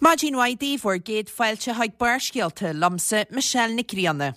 Maidin mhaith daoibh, bhur gcéad fáilte chuig Barrscéalta, liomsa Michelle Nic Grianna.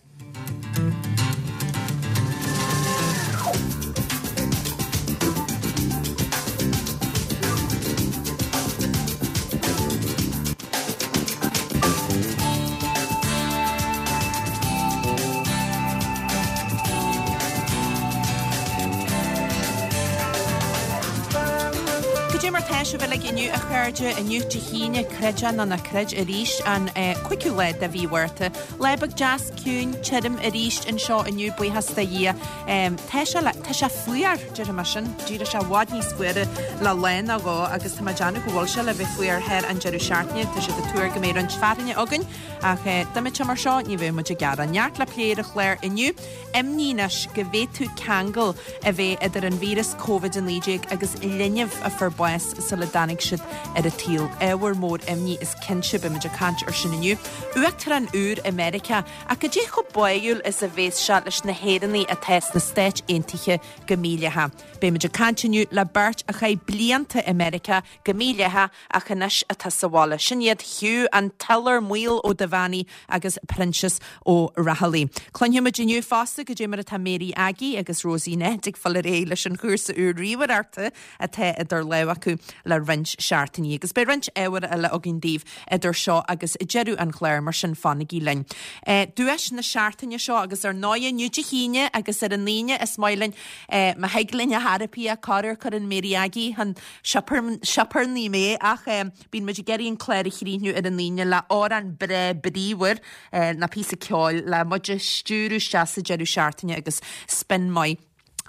Cad é mar tá sibh uilig inniu, a chairde? Inniu Dé hAoine, creid é nó ná creid arís, an cúigiú lá de mhí Mhárta. Lá beag deas, ciúin, tirim arís anseo inniu, buíochas do Dhia. Tá sé, tá sé fuar, déarfaidh mé sin. D'éirigh sé i bhfad níos fuaire le lá nó dhó agus tá mé ag déanamh go bhfuil sé le bheith fuar thar an deireadh seachtaine. Tá siad ag tuar go mbeidh roinnt fearthainne againn ach dá mbeadh sé mar seo ní bheadh muid ag gearán. Neart le plé ar an chlár inniu. Imní anois go bhféadfadh ceangal a bheith idir an víreas Covid-19 agus linbh a fuair bás sula dtáinig siad ar an tsaol. Ábhar mór imní is cinnte, beimid ag caint ar sin inniu. Uachtarán úr i Meiriceá, ach cad é chomh báúil is a bhéas sé leis na hÉireannaigh atá sna Stáit Aontaithe go mídhleathach? Beimid ag caint inniu le beirt a chaith blianta i Meiriceá go mídhleathach ach anois atá sa bhaile. Sin iad Hugh an tIolar Maol Ó Duibheannaigh agus Proinsias Ó Raghallaigh. Cluinfidh muid inniu fosta cad é mar atá Mary Aggie agus Rosie Ned ag fáil ar aghaidh leis an chúrsa úr ríomhaireachta atá idir lámha acu le roinnt seachtainí. Agus beidh roinnt ábhair eile againn daoibh idir seo agus deireadh an chláir, mar sin fanaigí linn. Duais na seachtaine seo agus ar ndóigh inniu Dé hAoine agus ar an Aoine is maith linn má thig linn a therapy corruair cuireann Mary Aggie chun sioparnaí mé ach bíonn muid ag iarraidh an clár a chríochnú ar an Aoine le amhrán breá bríomhar nó píosa ceoil le muid a stiúradh isteach sa deireadh seachtaine agus spin maith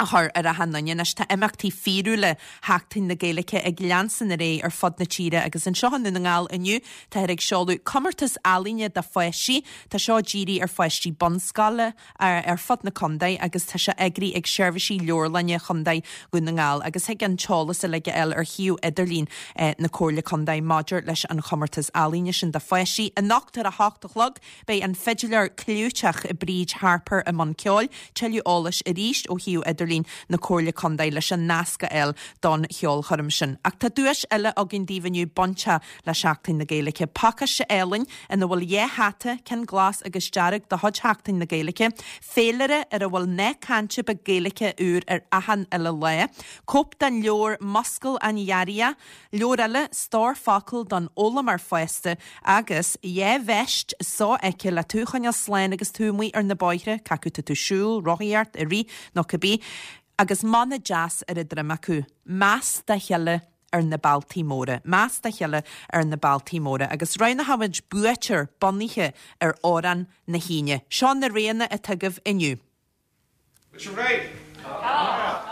a chur ar achan nduine. Anois tá imeachtaí fíorúla Sheachtain na Gaeilge ag leanstan ar aghaidh ar fud na tíre agus anseo i nDún na nGall inniu táthar ag seoladh comórtas ealaíne do pháistí. Tá seo dírithe ar pháistí bunscoile ar fud na contae agus tá sé eagraithe ag Seirbhísí Leabharlainne Chontae Dhún na nGall agus thig an t-eolas uilig a fháil ar shuíomh idirlín na Comhairle Contae maidir leis an chomórtas ealaíne sin do pháistí. Anocht ar a hocht a chlog beidh an fidiléir clúiteach Bríd Harper i mbun ceoil. Tuilleadh eolais arís ó shuíomh idirlín na Comhairle Contae leis an nasc a fháil don cheolchoirm sin. Ach tá duais eile againn daoibh inniu bainteach le Seachtain na Gaeilge. Pacáiste álainn ina bhfuil dhá hata, ceann glas agus dearg de chuid Sheachtain na Gaeilge, féilire ar a bhfuil nath cainte beag Gaeilge úr ar achan uile lá, cóip den leabhar Muscail an Ghiorria, leabhar eile, Stór Focal don Fhoghlaimeoir Fásta, agus dhá veist sofheicthe le tú a choinneáil slán agus tú amuigh ar na bóithre, cé acu tá tú ag siúl, rothaíocht, ag rith nó cibé, agus mana deas ar a droim acu, Meas dá chéile ar na bealtaí móra. Meas dá chéile ar na bealtaí móra. Agus roghnóidh muid buaiteoir bunaithe ar amhrán na hAoine. Seo na roghanna atá agaibh inniu. Bhfuil sibh réidh? Tá!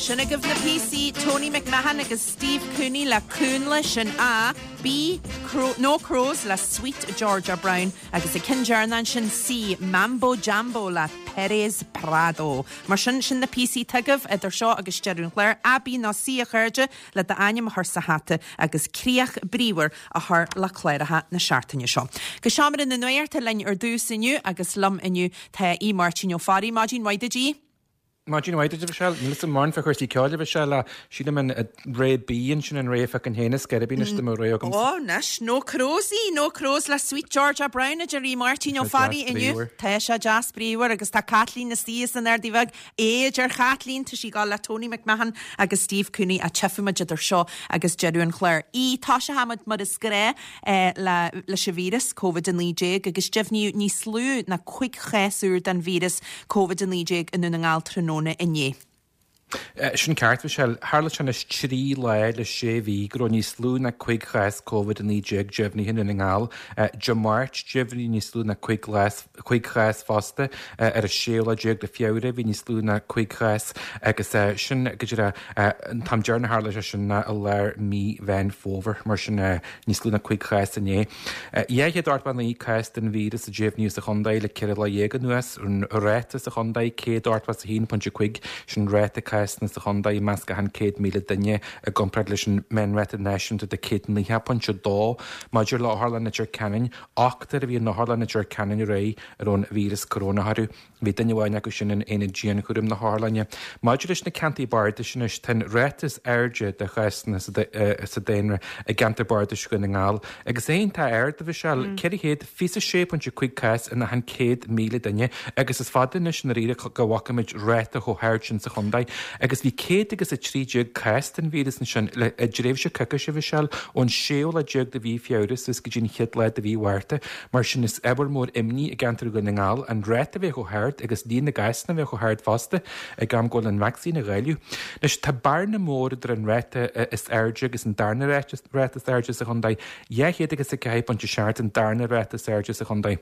Sin agaibh na píosaí, Tony McMahon agus Steve Cooney le Cúnla, sin A, B, Crow, No Crows le Sweet Georgia Brown agus an ceann deireanach ansin C, Mambo Jambo le Perez Prado. Mar sin, sin na píosaí atá agaibh idir seo agus deireadh an chláir, A, B nó C a chairde, le d'ainm a chur sa hata agus críoch bríomhar a chur le cláracha na seachtaine seo. Go seomra na nuachta linn ar dtús inniu agus liom inniu tá Aodh Máirtín Ó Fearraigh. Maidin mhaith duit Aodh. Maidin mhaith duit, a Mhichelle. Níl 'fhios a'm mórán fá chúrsaí ceoil, a Mhichelle, ach sílim an rogha B ansin an rogha a phiocfainn féin is geirbe anois dá mbeadh rogha agamsa. Ó, anois, No Crows í, No Crows le Sweet Georgia Brown a deir Aodh Máirtín Ó Fearraigh inniu. Tá sé deas bríomhar agus tá Caitlín istigh as an Ardaidh Bheag. A, a deir Caitlín, tá sí ag gabháil le Tony McMahon agus Steve Cooney ach tchífidh muid idir seo agus deireadh an chláir. Aodh, tosóidh muid mar is gnách le leis an víreas, Covid-19, agus deimhníodh níos lú ná 5 chás úr den víreas Covid-19 i nDún na nGall tráthnóna inné. Sin ceart, Michelle. Tharla sé anois 3 lá le 6 mhí go raibh níos lú ná 5 chás Covid-19 deimhnithe i nDún na nGall. Dé Máirt, deimhníodh níos lú ná 5 chás fosta. Ar an séú lá déag de Feabhra, bhí níos lú ná 5 chás agus sin go díreach an t-am deireanach a tharla sé sin ná i lár mí Mheán Fómhair. Mar sin, níos lú ná 5 chás inné. 289 cás den víreas a deimhníodh sa chontae le 14 lá anuas, an ráta sa chontae 181.5, sin ráta cásanna sa chontae i measc achan 100,000 duine i gcomparáid leis an meánráta náisiúnta de 190.2. Maidir le Otharlann Leitir Ceanainn, ochtar a bhí in Otharlann Leitir Ceanainn aréir a raibh an víreas corónach orthu. Bhí duine amháin acu sin in aonad dianchúraim na hotharlainne. Maidir leis na ceantair bardais anois, tá an ráta is airde de chásanna sa daonra i gceantar bardais Dhún na nGall agus é iontach ard, a Mhichelle, 426.5 cás in achan 100,000 duine agus is fada anois i ndáiríre go bhfaca muid ráta chomh hard sin sa chontae. Agus bhí 113 cás den víreas ansin le i dtréimhse coicíse, a Mhichelle, ón séú lá déag de mhí Feabhra suas go dtí an chéad lá de mhí Mhárta. Mar sin, is ábhar mór imní i gceantar Dhún na nGall an ráta a bheith chomh hard agus líon na gcásanna a bheith chomh hard fosta ag am go bhfuil an vacsaín á dháileadh. Anois, tá bearna mór idir an ráta is airde agus an darna ráta is airde sa chontae, 204.7 an darna ráta is airde sa chontae.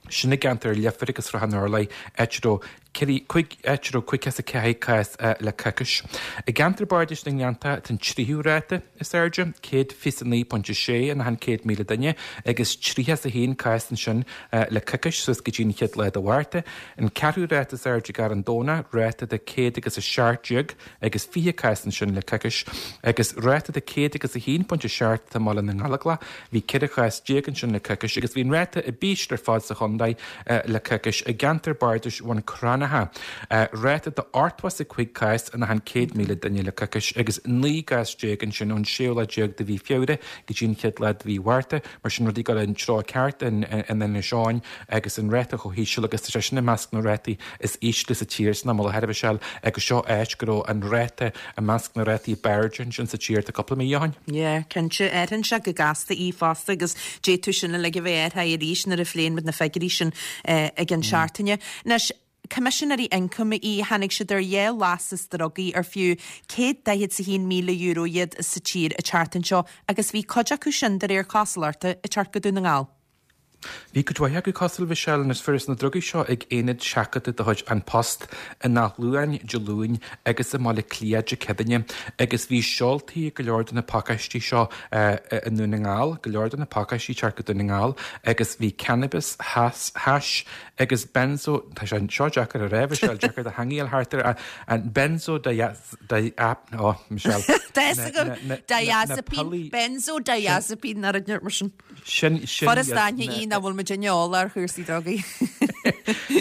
Sin i gceantar Leifir agus Srath an Urláir, áit a raibh áit a raibh 54 cás le coicís. I gceantar Bardais na nGleanntach tá an tríú ráta is airde, 129.6 in achan 100,000 duine, agus 31 cás ansin le coicís suas go dtí an chéad lá de Mhárta. An ceathrú ráta is airde i gCarn Domhnach, ráta de 117 agus 20 cás ansin le coicís, agus ráta de 101.7 atá i mBaile na nGallóglach, Bhí 14 chás ansin le coicís agus bhí an ráta ab ísle ar fad sa chontae le coicís i gceantar bardais Bhun Cranncha, ráta de 85 cás in achan 100,000 duine le coicís agus 19 gcás ansin ón séú lá déag de mhí Feabhra go dtí an chéad lá de mhí Mhárta. Mar sin rudaí ag dul an treo ceart in Inis Eoghain agus an ráta chomh híseal agus tá sé sin i measc na rátaí is ísle sa tír san am i láthair a Mhichelle agus seo áit go raibh an ráta i measc na rátaí b'airde ansin sa tír tá cúpla mí ó shin. Yeah, cinnte. Athraíonn sé go gasta í fosta agus d'fhéadfadh sin uilig a bheith athraithe arís nuair a phléann muid na figiúirí sin i gceann seachtaine. Anois, Coimisinéirí Ioncaim í, tháinig siad ar dhá lastas drugaí ar fiú €141,000 iad sa tír an tseachtain seo agus bhí cuid acu sin, de réir cosúlachta, ag teacht go Dún na nGall. Bhí cuid mhaith acu cosúil, Mhichelle, anois fuarthas na drugaí seo ag aonad seachadta de chuid An Post in Áth Luain Dé Luain agus i mBaile Átha Cliath Dé Céadaoine agus bhí seoltaí ag go leor de na pacáistí seo i nDún na nGall, go leor de na pacáistí ag teacht go Dún na nGall agus bhí cannabis, hais agus benzo, tá sé seo deacair a rá, Michelle, deacair do theanga a fháil thart air, an benzodiazepine, oh, Michelle. Diazepine, benzodiazepine, ar an mar sin. Sin, sin Furast aithne í nach bhfuil muid eolach ar chúrsaí drugaí.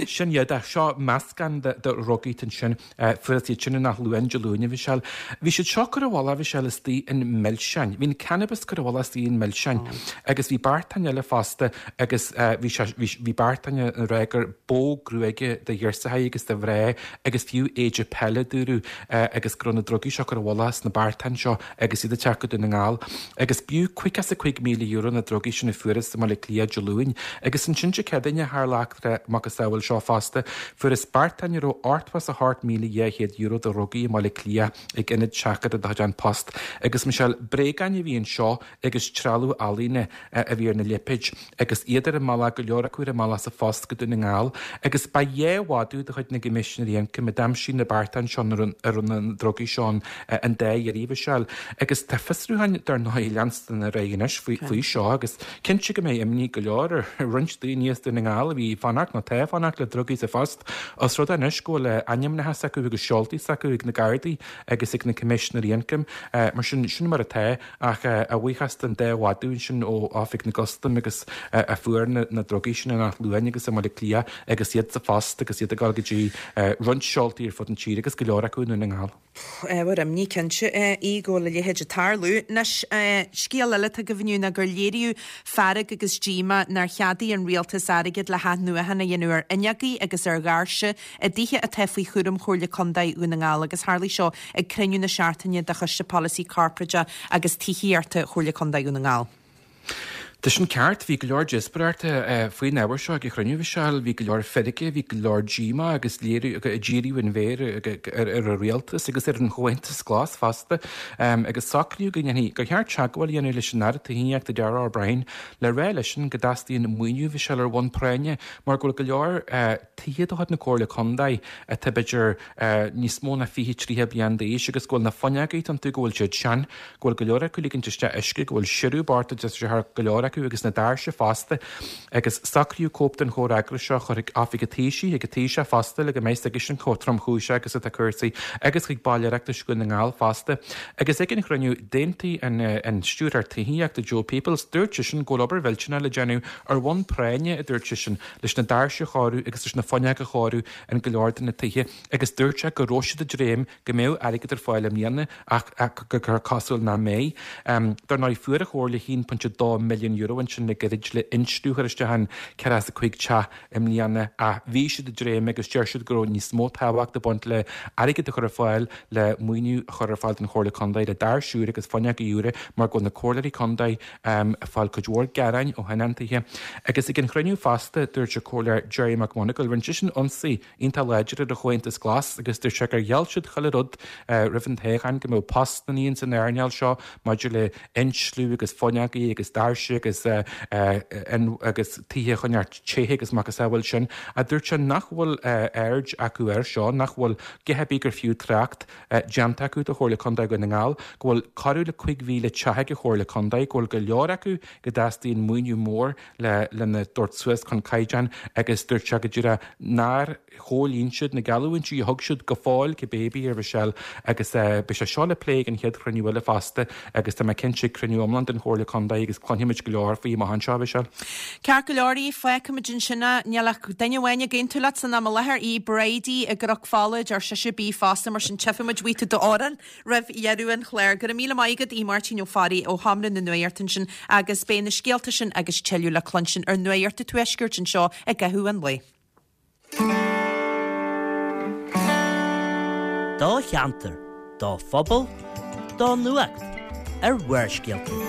Sin iad, ach seo meascán de dhrugaí ansin. Fuarthas iad sin in Áth Luain Dé Luain, a Mhichelle. Bhí siad seo curtha i bhfolach, a Mhichelle, istigh i milseáin. Bhí an cannabis curtha i bhfolach istigh i milseáin. Agus bhí beartáin eile fosta agus bhí sé, bhí, bhí beartáin ag rá gur bó gruaige do ghirseachaí agus do mhná agus fiú éide peile a dúradh agus go raibh na drugaí seo curtha i bhfolach sna beartáin seo. agus iad ag teacht go Dún na nGall, agus b'fhiú €55,000 na drugaí sin a fuarthas i mBaile Átha Cliath Dé Luain. Agus ansin Dé Céadaoine, tharla eachtra macasamhail seo fosta, fuarthas beartáin a raibh €88,200 de dhrugaí i mBaile Átha Cliath ag ionad seachadta de chuid An Post. Agus Michelle, bréagáin a bhí anseo agus trealamh ealaíne a bhí ar na lipéid. agus iad ar a mbealach, go leor acu ar a mbealach sa phost go Dún na nGall, agus ba dhá mhadadh de chuid na gCoimisinéirí Ioncaim a d'aimsigh na beartáin seo ina raibh na drugaí seo ann an dá iarraidh, a Mhichelle. Agus tá fiosrúcháin, dar ndóigh, ag leanstan ar aghaidh anois faoi seo agus cinnte go mbeidh imní go leor ar roinnt daoine as Dún na nGall a bhí ag fanacht nó atá ag fanacht le drugaí sa phost, os rud é anois go bhfuil ainmneacha s'acu agus seoltaí s'acu ag na Gardaí agus ag na Coimisinéirí Ioncaim. Mar sin, sin mar atá. Ach a bhuíochas don dá mhadadh ansin ó Oifig na gCustam agus a fuair na drugaí sin in Áth Luain agus i mBaile Átha Cliath agus iad sa phost agus iad ag dul go dtí roinnt seoltaí ar fud an tír agus go leor acu i nDún na nGall. Ábhar imní cinnte é go bhfuil a leithéid ag tarlú. Anois, scéal eile atá agaibh inniu ná gur léiríodh fearg agus díomá nár cheadaigh an rialtas airgead le hathnuachan a dhéanamh ar fhuinneogaí agus ar dhoirse i dtithe atá faoi chúram Chomhairle Contae Dhún na nGall agus tharlaigh seo ag cruinniú na seachtaine de Choiste Polasaí Corparáideach agus Tithíochta Chomhairle Contae Dhún na nGall. Tá sin ceart. Bhí go leor díospóireachta faoin ábhar seo ag an chruinniú, a Mhichelle. Bhí go leor feirge, bhí go leor díomá agus léiriú, díriú an mhéir ar an rialtas agus ar an Chomhaontas Glas fosta. Agus socraíodh go ndéanfaí, gur cheart teagmháil a dhéanamh leis an Aire Tithíochta Darragh O'Brien le rá leisean go dteastaíonn maoiniú, a Mhichelle, ar bhonn práinne mar go bhfuil go leor tithe de chuid na Comhairle Contae atá b'fhéidir níos mó ná 20, 30 bliain d'aois agus go bhfuil na fuinneoga iontu, go bhfuil siad sean, go bhfuil go leor acu ag ligint isteach uisce, go bhfuil siorradh bocht ag teacht isteach ar go leor acu agus na doirse fosta. Agus socraíodh cóip den chomhfhreagras seo a chur chuig Oifig an Taoisigh, chuig an Taoiseach fosta le go mbeidh a fhios aigesean chomh tromchúiseach agus atá cúrsaí agus chuig baill Oireachtais Dhún na nGall fosta. Agus ag an chruinniú, d'aontaigh an Stiúrthóir Tithíochta Joe Peoples, dúirt seisean go bhfuil obair mhillteanach le déanamh ar bhonn práinne, a dúirt seisean, leis na doirse a chóiriú agus leis na fuinneoga a chóiriú in go leor de na tithe agus dúirt sé go raibh siad ag dréim go mbeadh airgead ar fáil i mbliana ach gur cosúil nach mbeidh. Dar ndóigh fuair an Chomhairle €1.2 milliún ansin le gairid le insliú a chur isteach in 45 teach i mbliana ach bhí siad ag dréim agus deir siad go raibh níos mó tábhacht ag baint le airgead a chur ar fáil le maoiniú a chur ar fáil don Chomhairle Contae le doirse úra agus fuinneoga úra mar go bhfuil na comhairleoirí contae ag fáil cuid mhór gearáin ó thionóntaithe. Agus ag an chruinniú fosta, dúirt an Comhairleoir Gerry McMonagall, rinne seisean ionsaí iontach láidir ar an Chomhaontas Glas agus dúirt sé gur gheall siad chuile rud roimh an toghchán, go mbeadh postannaí ins an earnáil seo maidir le insliú agus fuinneogaí agus doirse agus agus tithe a choinneáil te agus macasamhail sin. Ach dúirt sé nach bhfuil aird acu air seo, nach bhfuil a dhath ar bith gur fiú trácht déanta acu do Chomhairle Contae Dhún na nGall, go bhfuil corradh le 5,000 teach ag an Chomhairle Contae, go bhfuil go leor acu go dteastaíonn maoiniú mór le lena dtabhairt suas chun caighdeáin agus dúirt sé go díreach nár chomhlíon siad na geallúintí a thug siad go fóill cibé ar bith a Mhichelle agus beidh sé seo le plé ag an chéad chruinniú eile fosta agus tá mé cinnte ag cruinniú iomlán den Chomhairle Contae agus cluinfimid go leor faoi amach anseo, a Mhichelle. Ceart go leor í, fágfaimid ansin é. Níl ach duine amháin ag aontú leat san am i láthair, í Bridie i gCnoc Fola, deir sise B fosta, mar sin tchífimid uait tú d'amhrán roimh dheireadh an chláir. Go raibh míle maith agat, a Mháirtín Ó Fearraigh ó Sheomra na Nuachta ansin agus beidh na scéalta sin agus tuilleadh le cluinstin ar Nuacht an Tuaiscirt anseo i gcaitheamh an lae. Do cheantar, do phobal, do nuacht ar Bharrscéalta.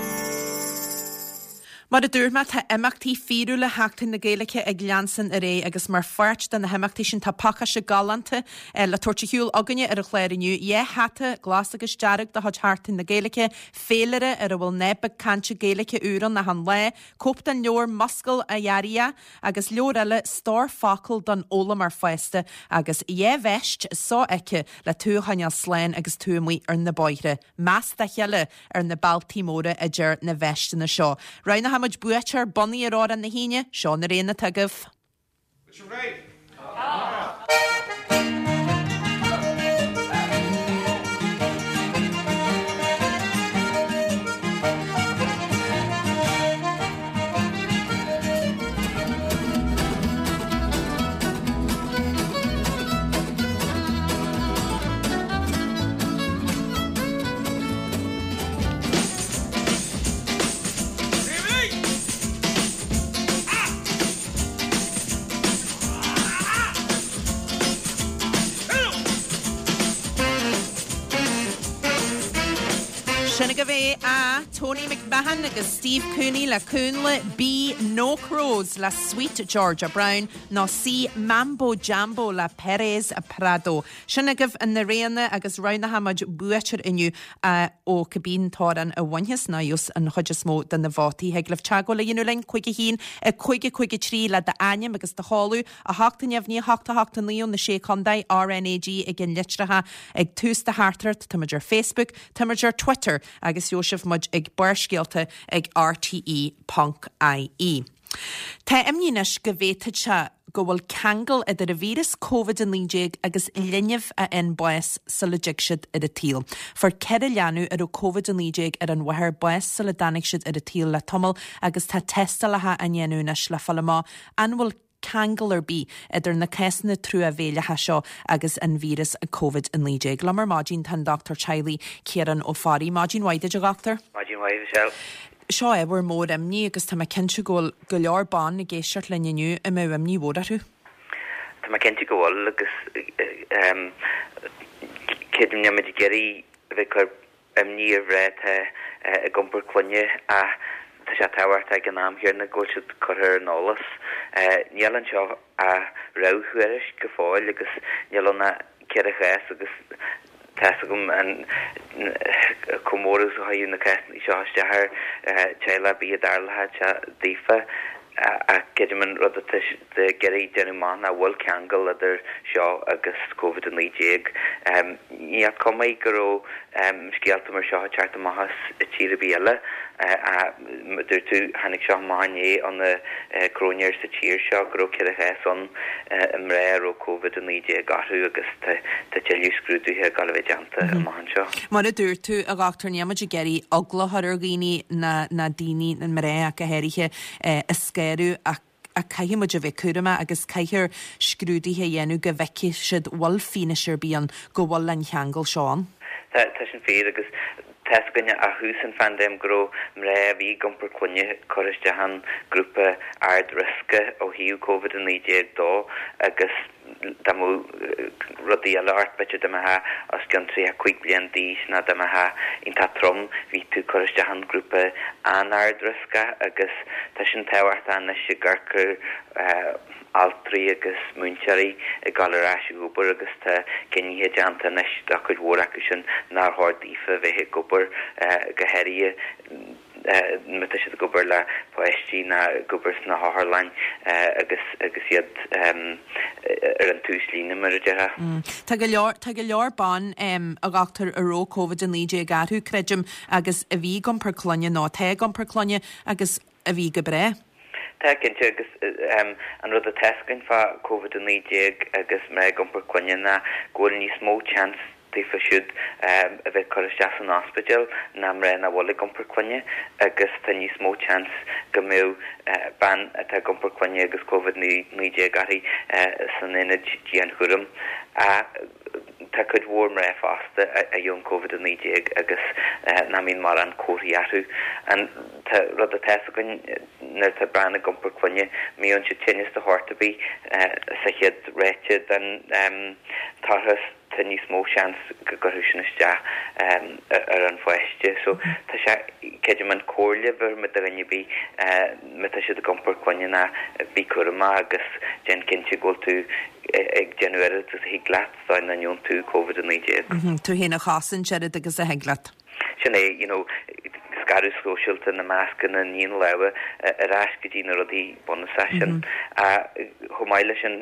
Mar a dúirt mé, tá imeachtaí fíorúla Sheachtain na Gaeilge ag leanstan ar aghaidh agus mar pháirt de na himeachtaí sin tá pacáiste galánta le tabhairt ar shiúl againne ar an chlár inniu, 2 hata, glas agus dearg de chuid Sheachtain na Gaeilge, féilire ar a bhfuil nath beag cainte Gaeilge úr ann achan lá, cóip den leabhar Muscail a Fhearaí! Agus leabhar eile, Stór Focal don Fhoghlaimeoir Fásta, agus 2 veist sofheicthe le tú a choinneáil slán agus tú amuigh ar na bóithre. Meas dá chéile ar na bealtaí móra a deir na veisteanna seo. Roghnóidh muid buaiteoir bunaithe ar amhrán na hAoine, seo na roghanna atá agaibh. Bhfuil sibh réidh? Tá! Sin agaibh é, A, Tony McMahon agus Steve Cooney le Cúnla, B, No Crows le Sweet Georgia Brown nó C, Mambo Jambo le Perez Prado. Sin agaibh na roghanna agus roghnóidh muid buaiteoir inniu ó cibé an t-amhrán a bhainfeas nó a gheobhas an chuid is mó de na vótaí. Thig libh teagmháil a dhéanamh linn, 5 1 5 5 3 le d'ainm agus do sheoladh. 8 neamhní 8 8 9 ó na Sé Chontae, RnaG ag an litreacha ag tús do theachtaireacht, táimid ar Facebook, táimid ar Twitter agus gheobhaidh sibh muid ag Barrscéalta ag rte ponc ie. Tá imní anois go bhféadfadh sé go bhfuil ceangal idir an víreas Covid-19 agus linbh a fhaigheann bás sula dtig siad ar an tsaol. Fuair 4 leanbh a raibh Covid-19 ar an mháthair bás sula dtáinig siad ar an tsaol le tamall agus tá tástálacha á ndéanamh anois le fáil amach an bhfuil ceangal ar bith idir na cásanna truamhéileacha seo agus an víreas Covid-19. Liom ar maidin tá an Dochtúir Teaghlaigh Ciarán Ó Fearraigh. Maidin mhaith duit, a dhochtúir. Maidin mhaith, Michelle. Seo ábhar mór imní agus tá mé cinnte go bhfuil go leor ban ag éisteacht linn inniu a mbeadh imní mhór orthu. Tá mé cinnte go bhfuil agus creidim níl muid ag iarraidh a bheith ag cur imní ar mhná atá ag iompar clainne ach. tá sé tábhachtach ag an am chéanna go bhfuil siad curtha ar an eolas. Níl anseo ach réamhthuairisc go fóill agus níl ann ach 4 chás agus tá's agam an chomh mór is a chuirfeadh na cásanna seo isteach ar teaghlach ar bith a dtarlódh sé daofa. Ach creidim an rud atá siad ag iarraidh déanamh amach ná an bhfuil ceangal idir seo agus Covid-19. Níl cuma go raibh scéalta mar seo ag teacht amach as tír ar bith eile. Ach mar a dúirt tú, tháinig seo amach inné ó na cróinéir sa tír seo go raibh 4 chás ann i mná a raibh Covid-19 orthu agus tá tuilleadh scrúduithe ag dul a bheith déanta amach anseo. Mar a dúirt tú, a dhochtúir, níl muid ag iarraidh eagla a chur ar dhaoine ná ná daoine, na mná ach go háirithe, a scanrú ach ach caithfidh muid a bheith cúramach agus caithfear scrúduithe a dhéanamh go bhfeicfidh siad bhfuil fianaise ar bith ann go bhfuil an cheangal seo ann. Tá, tá sin fíor agus tá's againne ó thús an phaindéim go raibh mná a bhí ag iompar clainne curtha isteach in grúpa ard riosca ó thaobh Covid-19 dó agus dá mbeadh rudaí eile ort, b'fhéidir dá mbeifeá os cionn 35 bliain d'aois nó dá mbeifeá iontach trom, bhí tú curtha isteach in grúpa an-ard riosca agus tá sin tábhachtach anois ag amharc ar altraí agus múinteoirí ag dul ar ais ag obair agus tá cinnithe déanta anois do chuid mhór acu sin nár chóir daofa bheith ag obair go háirithe má tá siad ag obair le páistí nó ag obair sna hotharlanna agus agus iad ar an tús líne, mar a déarfá. Tá go leor, tá go leor ban, a dhochtúir, a raibh Covid-19 orthu, creidim, agus a bhí ag iompar clainne nó atá ag iompar clainne agus a bhí go breá. Tá, cinnte, agus an rud atá 'fhios againn fá Covid-19 agus mná ag iompar clainne ná go bhfuil níos mó seans daofa siúd a bheith curtha isteach san ospidéal ná mná nach bhfuil ag iompar clainne agus tá níos mó seans go mbeadh bean atá ag iompar clainne agus Covid-19 uirthi san aonad dianchúraim. Tá cuid mhór mná fosta a fhaigheann Covid-19 agus nach mbíonn mórán comharthaí orthu. An rud atá 'fhios againn nuair atá bean ag iompar clainne, má fhaigheann siad tinneas de shórt ar bith sa chéad ráite den toircheas, tá níos mó seans go gcuirfeadh sin isteach ar an pháiste. So tá sé, creidim an comhairle a bhéarfaidh mé do dhuine ar bith má tá siad ag iompar clainne ná bí cúramach agus déan cinnte go bhfuil tú ag déanamh oiread agus a thig leat dá nach ngeobhann tú Covid-19. Tú féin a chosaint oiread agus a thig leat. Sin é, you know, scaradh sóisialta, na mascanna, ní na lámha, ar ais go dtí na rudaí bunúsacha sin. Chomh maith leis sin,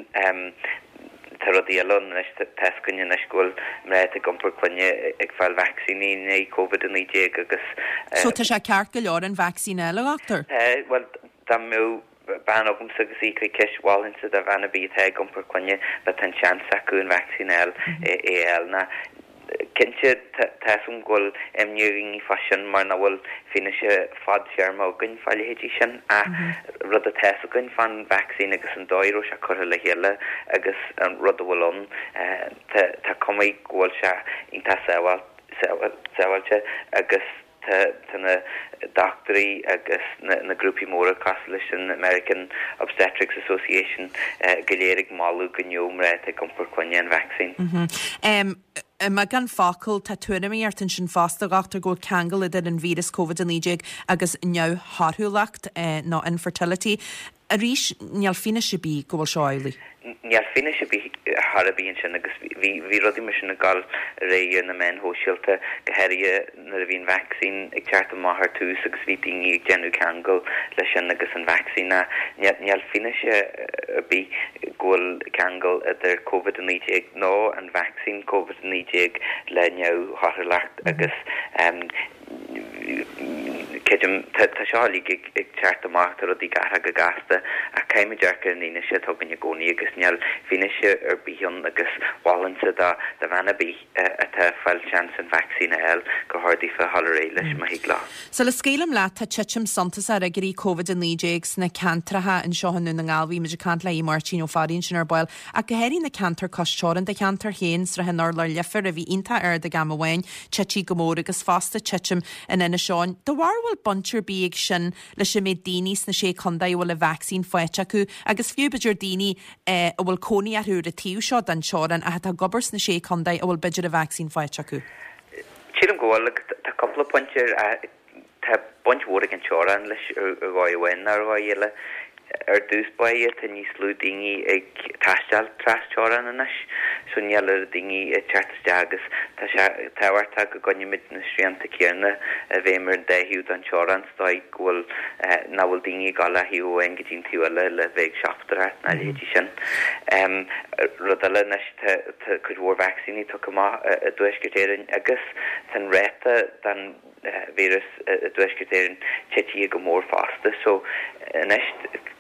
tá rudaí eile ann anois, tá 'fhios againn anois go bhfuil mná atá ag iompar clainne ag fáil vacsaíní in aghaidh Covid-19 agus. So tá sé ceart go leor an vacsaín a fháil, a dhochtúir? Tá, bhuel, dá mbeadh bean agamsa agus í ag cur ceist, mholfainnse do bhean ar bith atá ag iompar clainne, má tá an seans acu an vacsaín a fháil, é a fháil. Ná, cinnte, tá 'fhios agam go bhfuil imní ar dhaoine fá sin mar nach bhfuil fianaise fadtéarma againn fá leithéidí sin ach rud atá 'fhios againn fán vacsaín agus an dóigh a raibh sé curtha le chéile agus an rud a bhfuil ann, tá cuma go bhfuil sé iontach sábháilte agus Tá na dochtúirí agus na grúpaí móra cosúil leis an American Obstetrics Association go léir ag moladh go ngeobhadh mná atá ag iompar clainne an vacsaín. I mbeagán focal, tá tuairimíocht ansin fosta, a dhochtúir, go bhfuil ceangal idir an víreas Covid-19 agus neamhthorthúlacht nó infertility. Arís, níl fianaise ar bith go bhfuil seo amhlaidh. Níl fianaise ar bith chor ar bith ansin agus bhí bhí rudaí mar sin ag dul ar aghaidh ar na meáin shóisialta, go háirithe nuair a bhí an vacsaín ag teacht amach ar tús agus bhí daoine ag déanamh ceangal leis sin agus an vacsaín ach níl níl fianaise ar bith go bhfuil ceangal idir Covid-19 nó an vacsaín Covid-19 le neamhthorthúlacht agus Creidim, tá seo uilig ag teacht amach, tá rudaí ag athrú go gasta, ach caithfimid amharc ar an fhianaise atá againn i gcónaí agus níl fianaise ar bith ann agus mholfainnse do bhean ar bith atá ag fáil seans an vacsaín a fháil gur chóir daofa a dhul ar aghaidh leis má thig leo. Sula scaoilim leat, tá titim suntasach ar fhigiúirí Covid-19 sna ceantracha anseo i nDún na nGall. Bhí muid ag caint le Aodh Máirtín Ó Fearraigh ansin ar ball, ach go háirithe na ceantair cois teorann, do cheantar féin, Srath an Urláir Leifear, a bhí iontach ard ag am amháin, tití go mór agus fosta titim in Inis Eoghain. Do bharúil bhfuil baint ar bith ag sin leis an méid daoine sna Sé Contae a bhfuil an vacsaín faighte acu agus fiú b'fhéidir daoine a bhfuil cónaí orthu ar an taobh seo den teorainn ach atá ag obair sna Sé Contae a bhfuil b'fhéidir an vacsaín faighte acu? Sílim go bhfuil agus tá cúpla pointe ar. Tá baint mhór ag an teorainn leis ar dhóigh amháin nó ar dhóigh eile. Ar dtús báire, tá níos lú daoine ag taisteal tras-teorann anois, so níl oiread daoine ag teacht isteach agus tá sé tábhachtach go gcoinnímid na srianta céanna i bhfeidhm ar an dá thaobh den teorainn sa dóigh go bhfuil, nach bhfuil daoine ag dul ó thaobh amháin go dtí an taobh eile le bheith ag siopadóireacht nó a leithéidí sin. Rud eile anois, tá cuid mhór vacsaíní tugtha amach i dTuaisceart Éireann agus tá an ráta den víreas i dTuaisceart Éireann titithe go mór fosta. So anois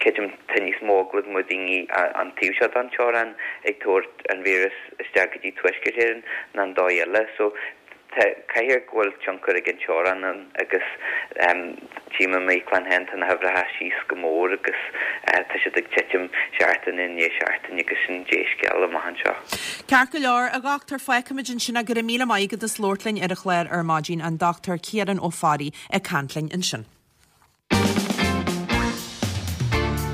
creidim tá níos mó eagla go mbeadh daoine an taobh seo den teorainn ag tabhairt an víreas isteach go dtí Tuaisceart Éireann ná an dóigh eile. So tá, caithfidh go bhfuil tionchar ag an teorainn ann agus tchím i m'íoclann féin tá na huimhreacha síos go mór agus tá siad ag titim seachtain i ndiaidh seachtaine agus sin dea-scéal amach anseo. Ceart go leor, a dhochtúir, fágfaimid ansin é. Go raibh míle maith agat as labhairt linn ar an chlár ar maidin, an Dr Ciarán Ó Fearraigh ag caint linn ansin.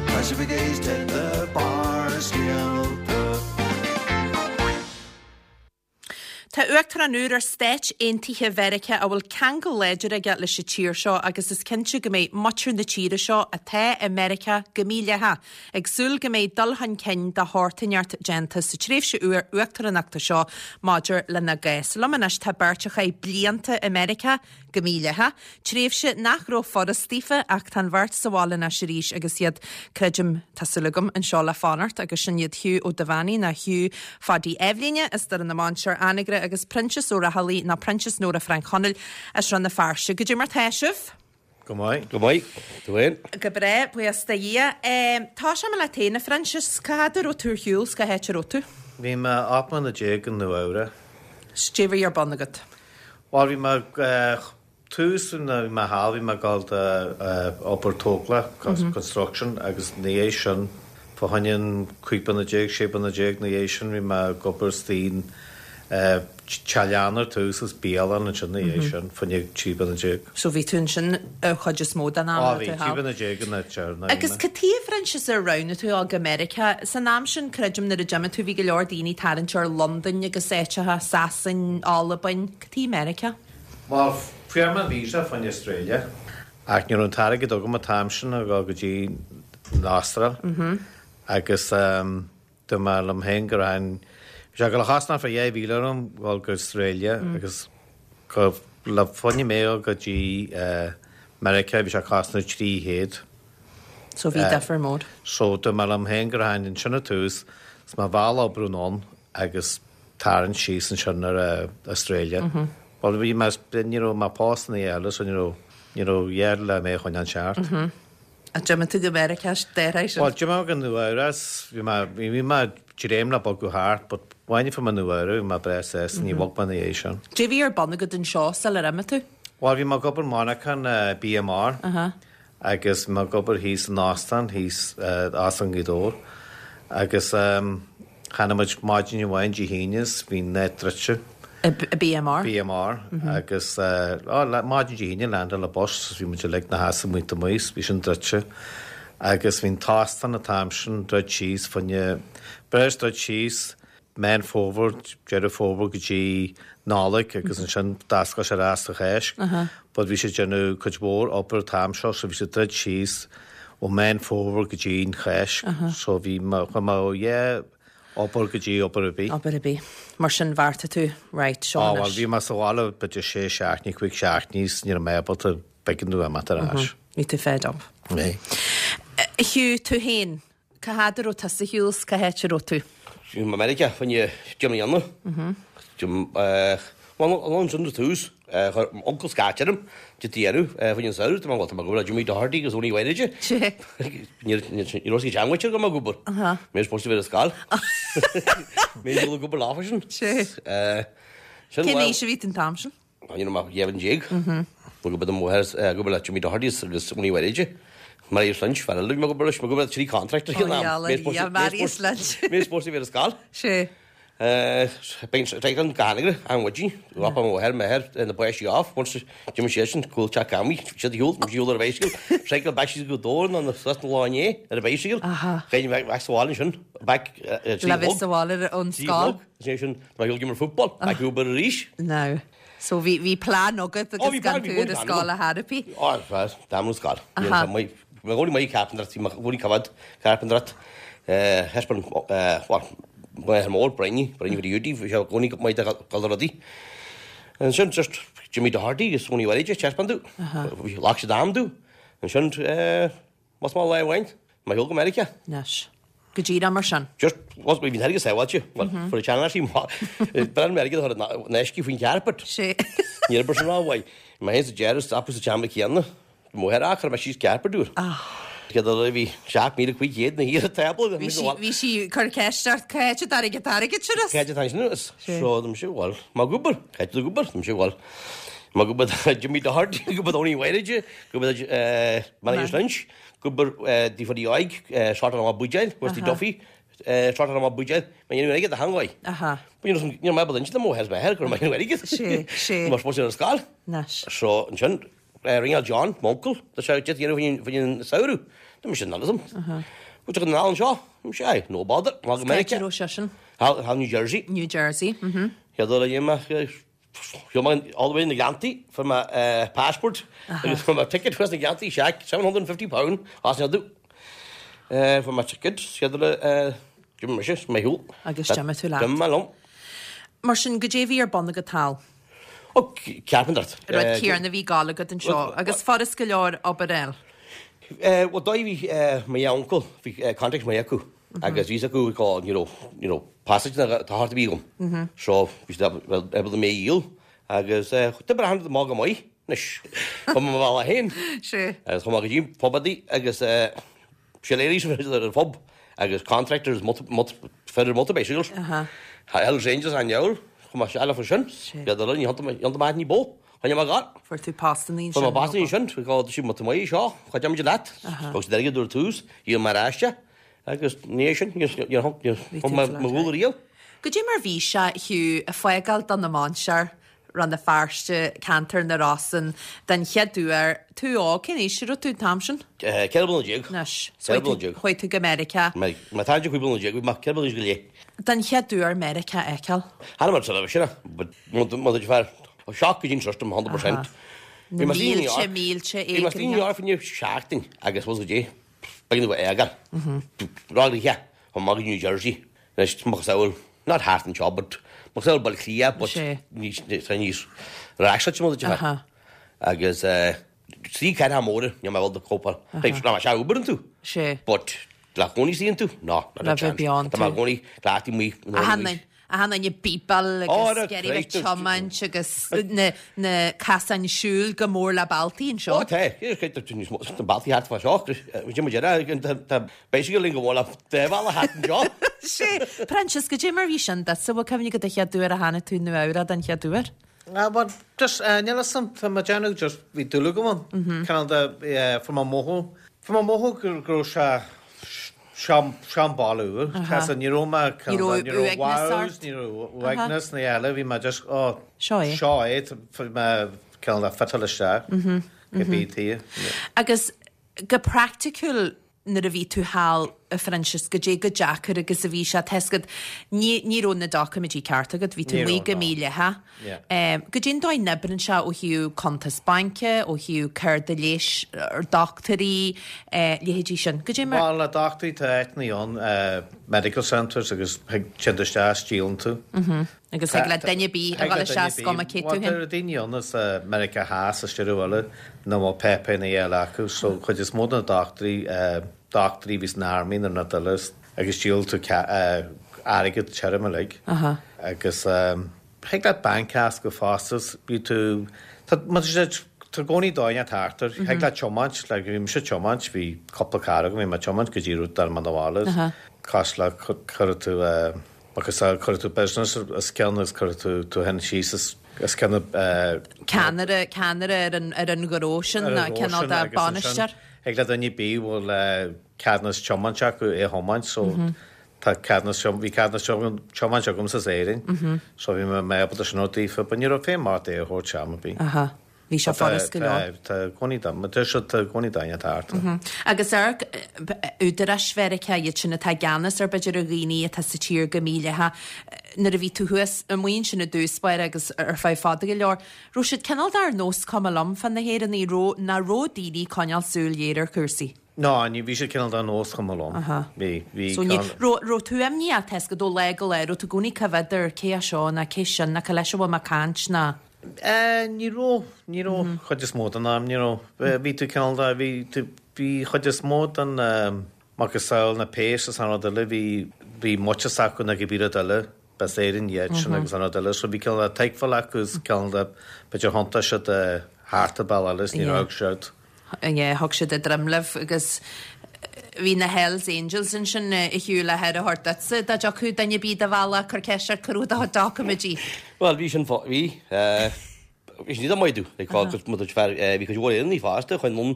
Tá sibh ag éisteacht le Barrscéalta. Tá Uachtarán úr ar Stáit Aontaithe Mheiriceá a bhfuil ceangal láidir aige leis an tír seo agus is cinnte go mbeidh muintir na tíre seo atá i Meiriceá go mídhleathach ag súil go mbeidh dul chun cinn de shórt inteacht déanta sa tréimhse úr uachtaránachta seo maidir lena gcás. Liom anois tá beirt a chaith blianta i Meiriceá go mídhleathach, tréimhse nach raibh furast daofa ach tá an bheirt sa bhaile anois arís agus iad, creidim, tá súil agam, anseo le fanacht agus sin iad Hugh Ó Duibheannaigh nó Hugh Phaidí Eibhlíne as Doire na Mainsear, Anagaire agus Proinsias Ó Raghallaigh nó Proinsias Nóra Frainc Chonaill as Rann na Feirste. Goidé mar tá sibh? Go maith. Go maith. Tú féin? Go breá, buíochas do Dhia. Tosóidh mé leat féin, a Phroinsias. Cá fhad a raibh tú ar shiúl 's cá háit a raibh tú? Bhí mé 18 mbliana i Nua Eabhrac. 'S goidé a bhí ar bun agat? Bhuel, bhí mé tús nuair a bhí mé thall, bhí mé ag dul do obair tógála, construction, agus ina dhiaidh sin, fá choinne an 15 bliana, 16 bliana ina dhiaidh sin, bhí mé ag obair istigh in teach leanna ar tús agus bialann ansin ina dhiaidh sin, fá choinne 13 bliana. So bhí tú ansin an chuid is mó den am a raibh tú thall. Ó bhí, 13 bliana an áit deireanach a bhí mé. Agus cad chuige, a Phroinsias, ar roghnaigh tú a dhul go Meiriceá? San am sin, creidim, nuair a d'imigh tú, bhí go leor daoine ag tarraingt ar Londain agus áiteacha, Sasain, Albain. Cad chuige Meiriceá? Bhuel, fuair mé an visa fá choinne Australia ach ní raibh an t-airgead agam an t-am sin a dhul go dtí an Astráil agus Dúirt mé liom féin go raibh bhí sé ag dul a chosnamh fá 2,000 orm dhul go Australia agus go le fá choinne mé dhul go dtí Meiriceá bhí sé ag cosnamh 300. So bhí difear mór. So dúirt mé liom féin go rachainn ansin ar tús is mo bhealach oibriú anonn agus tarraingt síos ansin ar Australia. Bhuel bhí mé, ní raibh mé pósta ná a dhath eile so ní raibh, ní raibh a dhath le mé a choinneáil seart. Ach d'imigh tú go Meiriceá dá réir sin. Bhuel, d'imigh mé go Nua Eabhrac, bhí mé, bhí mé ag dréim le bogadh thart, but amháin a fuair mé Nua Eabhrac, bhí mé breá sásta, ní bhog mé ina dhiaidh sin. Goidé a bhí ar bun agat anseo sular imigh tú? Bhuel, bhí mé ag obair i monarchan BMR agus bhí mé ag obair thíos in óstán, thíos, Óstán Ghaoth Dobhair agus, Tháinig muid maidin amháin Dé hAoine is bhí an áit druidte. BMR? BMR agus maidin Dé hAoine landáil an bus is bhí muid uilig 'na sheasamh amuigh amuigh is bhí sin druidte agus bhí an t-óstán an t-am sin druid síos fá choinne breis druid síos Meán Fómhair, Deireadh Fómhair go dtí Nollaig agus ansin d'oscail sé ar ais sa Cháisc but bhí siad ag déanamh cuid mhór obair an t-am seo so bhí siad druid síos ó Meán Fómhair go dtí an Cháisc so bhí mé, chuaigh mé ó yeah obair go dtí obair ar bith. Obair ar bith. Mar sin bheartaigh tú, right, seo anois. Á bhuel bhí mé sa bhaile b'fhéidir sé seachtainí, cúig seachtainí is ní raibh mé ábalta b'éigean domh imeacht ar ais. Bhí tú fed up. Bhí. Hugh, tú féin, Cá fhad a raibh tusa ar shiúl 's cá háit a raibh tú? Bhí mé i Meiriceá fá choinne deich mbliana. Bhuel, an sin ar tús, chuir m'uncail scairt orm, de deireadh, fá choinne an samhradh, tá mé, bhuel, tá mé ag obair le Jimmy Doherty agus Tony Mhairide. Ní raibh sé teangmháil go mbeadh ag obair. Mé supposed to bheith ar scoil. Mé ag obair lá freisin. Cén aois a bhí tú an t-am sin? Ní raibh mé ach 12 bhliain. Bhí go mo mháthair ag obair le Jimmy Doherty agus Tony Mhairide. Marius Lynch, fear eile a bhí mé ag obair leis, mé ag obair le trí contractor ag an am. Marius Lynch. Mé supposed to bheith ar scoil. Sé. Bíonn an ganagra an mhaidin, ropa mo mháthair, m'athair, na páistí off, once d'imigh siadsan, cúl teach Cammy, siad a shiúl, shiúl ar a bicycle, cycle back síos go Dobhar nó na suas na lá inné ar a bicycle, chaith back sa bhaile ansin, back Le bheith sa bhaile ón scoil. Ansin sin, tá mé ag imirt football, back Uber arís. Now. So bhí bhí plean agat agus gan tú ar an scoil a therapy. Ó, tá mé scoil. Mé gcónaí maith carpentry, mé gcónaí covered carpentry. Thaispeáin well m'athair mór, Brinny, Brinny for the UD, bhí sé i gcónaí maith do dhul rudaí. Ansin just Jimmy Doherty agus Tony Willie thaispeáin domh. Ghlac siad am domh. Ansin más maith lá amháin, mé shiúl go Meiriceá. Anois. Go díreach mar sin. Just, was, bhí an t-airgead sábháilte. Well, fuair an tseanfhear sí, b'fhearr an airgead a chur in uisce faoin charpet. Sé. Ní raibh sin rómhaith. Mé féin sa deireadh, stopadh sa tseomra céanna. Mo mháthair, chuir mé síos carpet úr. Céad uair a bhí 7,500 na thiar tábla. Bhí sí, bhí sí ag cur ceist ort, cá háit a dtáinig an t-airgead sin as? Cá háit a dtáinig sin as? So, dúirt mise, bhuel, má gúbar, cá háit a gúbar? Dúirt mise, bhuel, má gúbar Jimmy Doherty, gúbar Tony Wyridge, gúbar Manager Lynch, gúbar Dee Óig, Short ar an Buidéil, Wesley Duffy, Short ar an Buidéil, má dhéanamh airgead a theangaidh. Ní raibh mé ábalta inse do mo mháthair is m'athair go raibh mé ag déanamh airgead. Sé, sé. Mar spórt ar an scoil. Anois. So, ansin, Ringeáil John, m'uncail, tá sé ag déanamh faoin an samhradh. Tá mise in ann. Bhfuil tú in ann anseo? Mise aye, no bother. Má go Meiriceá. Cá raibh seisean? Thall New Jersey. New Jersey, mhm. Chéad uair a dhéan mé, shiúil mé all the way na Gleanntaí, fuair mé passport agus fuair mé ticket thuas na Gleanntaí, seac, £750 as an fhadú. Fuair mé ticket, chéad uair a d'imigh mise, mé shiúl. Agus d'imigh tú leat. D'imigh mé liom. Mar sin, goidé a bhí ar bun agat thall? Ó, cearpantair. Rud céanna a bhí ag gabháil agat anseo agus fuairis go leor obair eile. Bhuel, dóigh bhí mo dhá uncail, bhí contacts maith acu agus bhí fhios acu go, you know, you know, passage na tá thart a bhí agam. So, bhí siad able mé a dhíol agus d'oibrigh achan rud amach go maith anois. Chuaigh mé mo bhealach féin. Sea. Agus chuaigh mé go dtí pubadaí agus Siléirí ar an phub agus contractors fir ar motor bicycles. Hells Angels an diabhal, chomh maith eile faoi sin. Iad uile, ní hionta maith ní bó. Choinnigh mé gar. Fuair tú postannaí ansin. Fuair mé postannaí ansin, go dtí mo maith seo, chuid muid leat. Thug siad airgead ar tús, dhíol mé ar ais é agus ní é sin, níor thug mé mo dhúil riamh. Goidé mar bhí sé, Hugh, ag fágáil Dún na Mainsear Rann na Feirste, ceantar na Rosann, den chéad uair. Tú óg, cén aois a raibh tú an t-am sin? 14 bliana. Anois. 14 bliana. Chuaigh tú go Meiriceá. Má tá 15 bliana, bhí mé 14 bliana go leith. Den chéad uair Meiriceá a fheiceáil. Tharla mar sin, sin but má tá fear shock go dtí an system 100%. Na mílte, mílte Bhí mé i New York faoi seachtain agus was go dtí beagnach go éagal. Ráigeadh chomh maith go New Jersey. Anois, macasamhail, not thart anseo, but macasamhail Baile Átha Cliath, but níos, tá níos raisleite mar a déarfá. Agus trí cathracha móra, níl mé ábalta cóipeáil. Like, ná, sea, obair iontu. Sé. But le cónaí istigh iontu, no, not a chance. Tá mé i gcónaí cleachtaí amuigh. Achan duine ag bípeáil agus ag iarraidh bheith ag tiomáint agus na casáin siúil go mór le bealtaí anseo. Ó tá, níos mó, na bealtaí thart fá seo, cad é mar déarfá, tá bicycle linn go bhfuil a dá bhealach thart anseo. Sé, Proinsias, goidé mar bhí sin duitse, bhfuil cuimhne agat an chéad uair a tháinig tú Nua Eabhrac den chéad uair? Bhuel, just, níl fhios a'm, tá mé ag déanamh just, bhí dúil agam ann, cineál de, fuair mé mothú, fuair mé mothú go raibh sé, Seo an baile úr. Tá ní raibh mé Ní raibh ní raibh uaigneas wows, ort. ní raibh uaigneas ní eile, bhí mé just oh Seo é. seo é, bhí mé cineál de fiteáil isteach cibé taobh. Agus go praiticiúil nuair a bhí tú thall a Phroinsias, goidé chomh deacair agus a bhí sé, tá fhios agat, ní ní raibh na doiciméidí ceart agat, bhí tú Ní amuigh raibh, go no. mídhleathach. Yeah. Goidé an dóigh a n-oibríonn sé ó thaobh cuntas baince, ó thaobh cárta leighis, dochtúirí, leithéidí sin. Goidé mar. Bhuel, le dochtúirí tá áiteanna ann, medical centres agus thig téann tú isteach is díolann tú. Agus thig le duine ar bith a dhul isteach is cuma cé tú Bhuel, féin. tá daoine ann as Meiriceá Theas is tíortha eile nach bhfuil páipéir ná eile acu so chuid is mó de na dochtúirí, dochtúirí a bhí san army nó na duile agus díolann tú airgead tirim uilig agus Thig leat banc a fhoscladh fosta is bhí tú, tá, má tá sé, tá i gcónaí dóigh inteacht thart air. Thig leat tiomáint, like bhí mise ag tiomáint, bhí cúpla carr agam, bhí mé ag tiomáint go dtí rud dar mé na bhaile is cosúil le cuirfidh tú eh, agus cuirfidh tú business os cionn agus cuirfidh tú tú féin síos os os cionn eh, Ceannaire, ceannaire ar an, ar an ghnó sin, ar an ghnó cineál sin de agus ansin bainisteoir. thig le duine ar bith a bhfuil eh, ceadúnas tiomáint acu é a thiomáint so. Tá ceadúnas, bhí ceadúnas tiomáint agamsa as Éirinn, so bhí mé ábalta sin a thabhairt daofa, but ní raibh feidhm ort é a thabhairt am ar bith. Aha. Bhí sé furast go leor. Tá i gcónaí dom, tá sé tá i gcónaí daoine atá thart. Agus ar údaráis Mheiriceá iad sin atá i gceannas ar b'fhéidir ar dhaoine atá sa tír go mídhleathach, nuair a bhí tú thuas amuigh ansin i dtús báire agus ar feadh fada go leor, raibh siad cineál de ar nós cuma liom fá na hÉireannaigh, raibh, nach raibh daoine ag coinneáil súil ghéar ar chúrsaí? Ná, ní, bhí siad cineál de ar nós cuma liom. Bhí, bhí So ní, raibh, raibh tú imníoch, tá a fhios agat ó lá go lá, raibh tú i gcónaí ag coimhéad ar cé é seo ná cé sin ná cé leis a bhfuil mé ag caint ná. Ní raibh, ní raibh chuid is mó den am, ní raibh. Bhí tú cineál de, bhí tú, bhí chuid is mó den macasamhail na péas is an rud eile, bhí, bhí muid s'acu ná cibé rud eile, b'as Éirinn iad sin agus an rud eile, so bhí cineál de tuigbheáil acu is cineál de, b'fhéidir thiontaigh siad thart ar bealach eile is ní raibh siad. yeah, thug siad a droim libh agus bhí na Hells Angels ansin a Hugh le haire a thabhairt duitse dá dtiocfadh duine ar bith do bhealach cur ceist ort cá raibh do chuid doiciméidí. Bhuel, bhí sin, bhí, bhí sin iad maith domh, like, agus mo chuid fear, bhí cuid mhór Éireannaigh fosta chun ann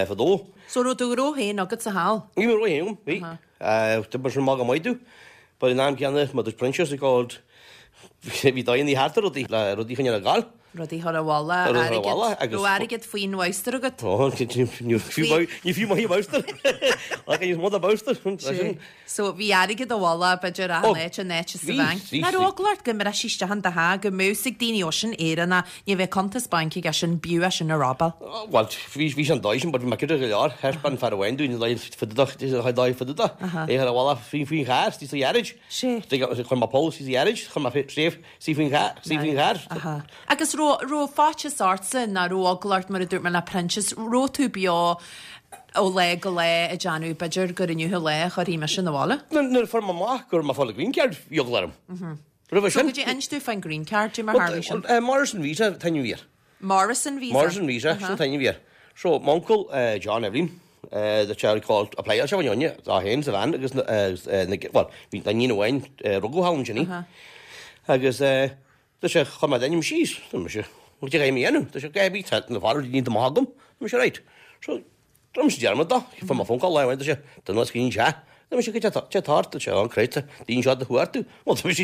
fadó. So raibh do ghnó féin agatsa thall? Bhí mo ghnó féin agam, bhí. D'oibrigh sin maith go maith domh, but in am céanna, mo chuid Proinsias ag called, bhí daoine thart ar rudaí, le rudaí a choinneáil ag gabháil. Rudaí a chur abhaile, airgead, raibh airgead faoin bholster agat? Ó, ní fiú maith an bolster. Ach níos mó ná bolster. So bhí airgead abhaile, b'fhéidir achan áit, in áit sa bhanc. Nach raibh eagla ort go mbrisfí isteach in do theach, go mbeadh fhios ag daoine, ó sin Éireannach, ní bheidh cuntas bainc aige sin, b'fhiú é sin a robáil. Bhuel, bhí sé an dóigh sin, but bhí mé cinnte go leor. Thaispeáin fear amháin dúinn an dóigh fididach, an dóigh fididach. É ar a bhealach faoin charr, istigh sa gharage. Chuir mé poll istigh sa gharage, chuir mé safe, Istigh faoin charr, istigh faoin charr. Aha. Agus raibh, raibh faitíos ortsa ná raibh eagla ort mar a dúirt mé le Proinsias, raibh tú beo ó lá go lá ag déanamh b'fhéidir gur inniu an lá a chuirfidh mise 'na bhaile? Nuair a fuair mé amach go raibh mé ag fáil an green card, bhí eagla orm. Roimhe sin. So goidé, inis domh fán green card, goidé mar tharlaigh sin. Morrison Visa an t-ainm a bhí air. Morrison Visa? Morrison Visa, sin an t-ainm a bhí air. So, m'uncail John Evelyn, the child called, applyáil sé fá choinne dó féin is a bhean agus na, bhuel, bhí iníon amháin, rugadh thall ansin í. Agus dúirt sé, chuir mé d'ainm síos, dúirt mise, goidé a chaithfidh mé a dhéanamh? Dúirt sé, caithfidh mé tá na foraoisí maith agam. Dúirt mise, right. So, Rinne mise dearmad dó, fuair mé phone call lá amháin, dúirt sé, duine as Green Sea. Dúirt mise, goidé atá ort? Dúirt sé, oh Christ, daoine seo do chuartú. Bhuel, dúirt mise,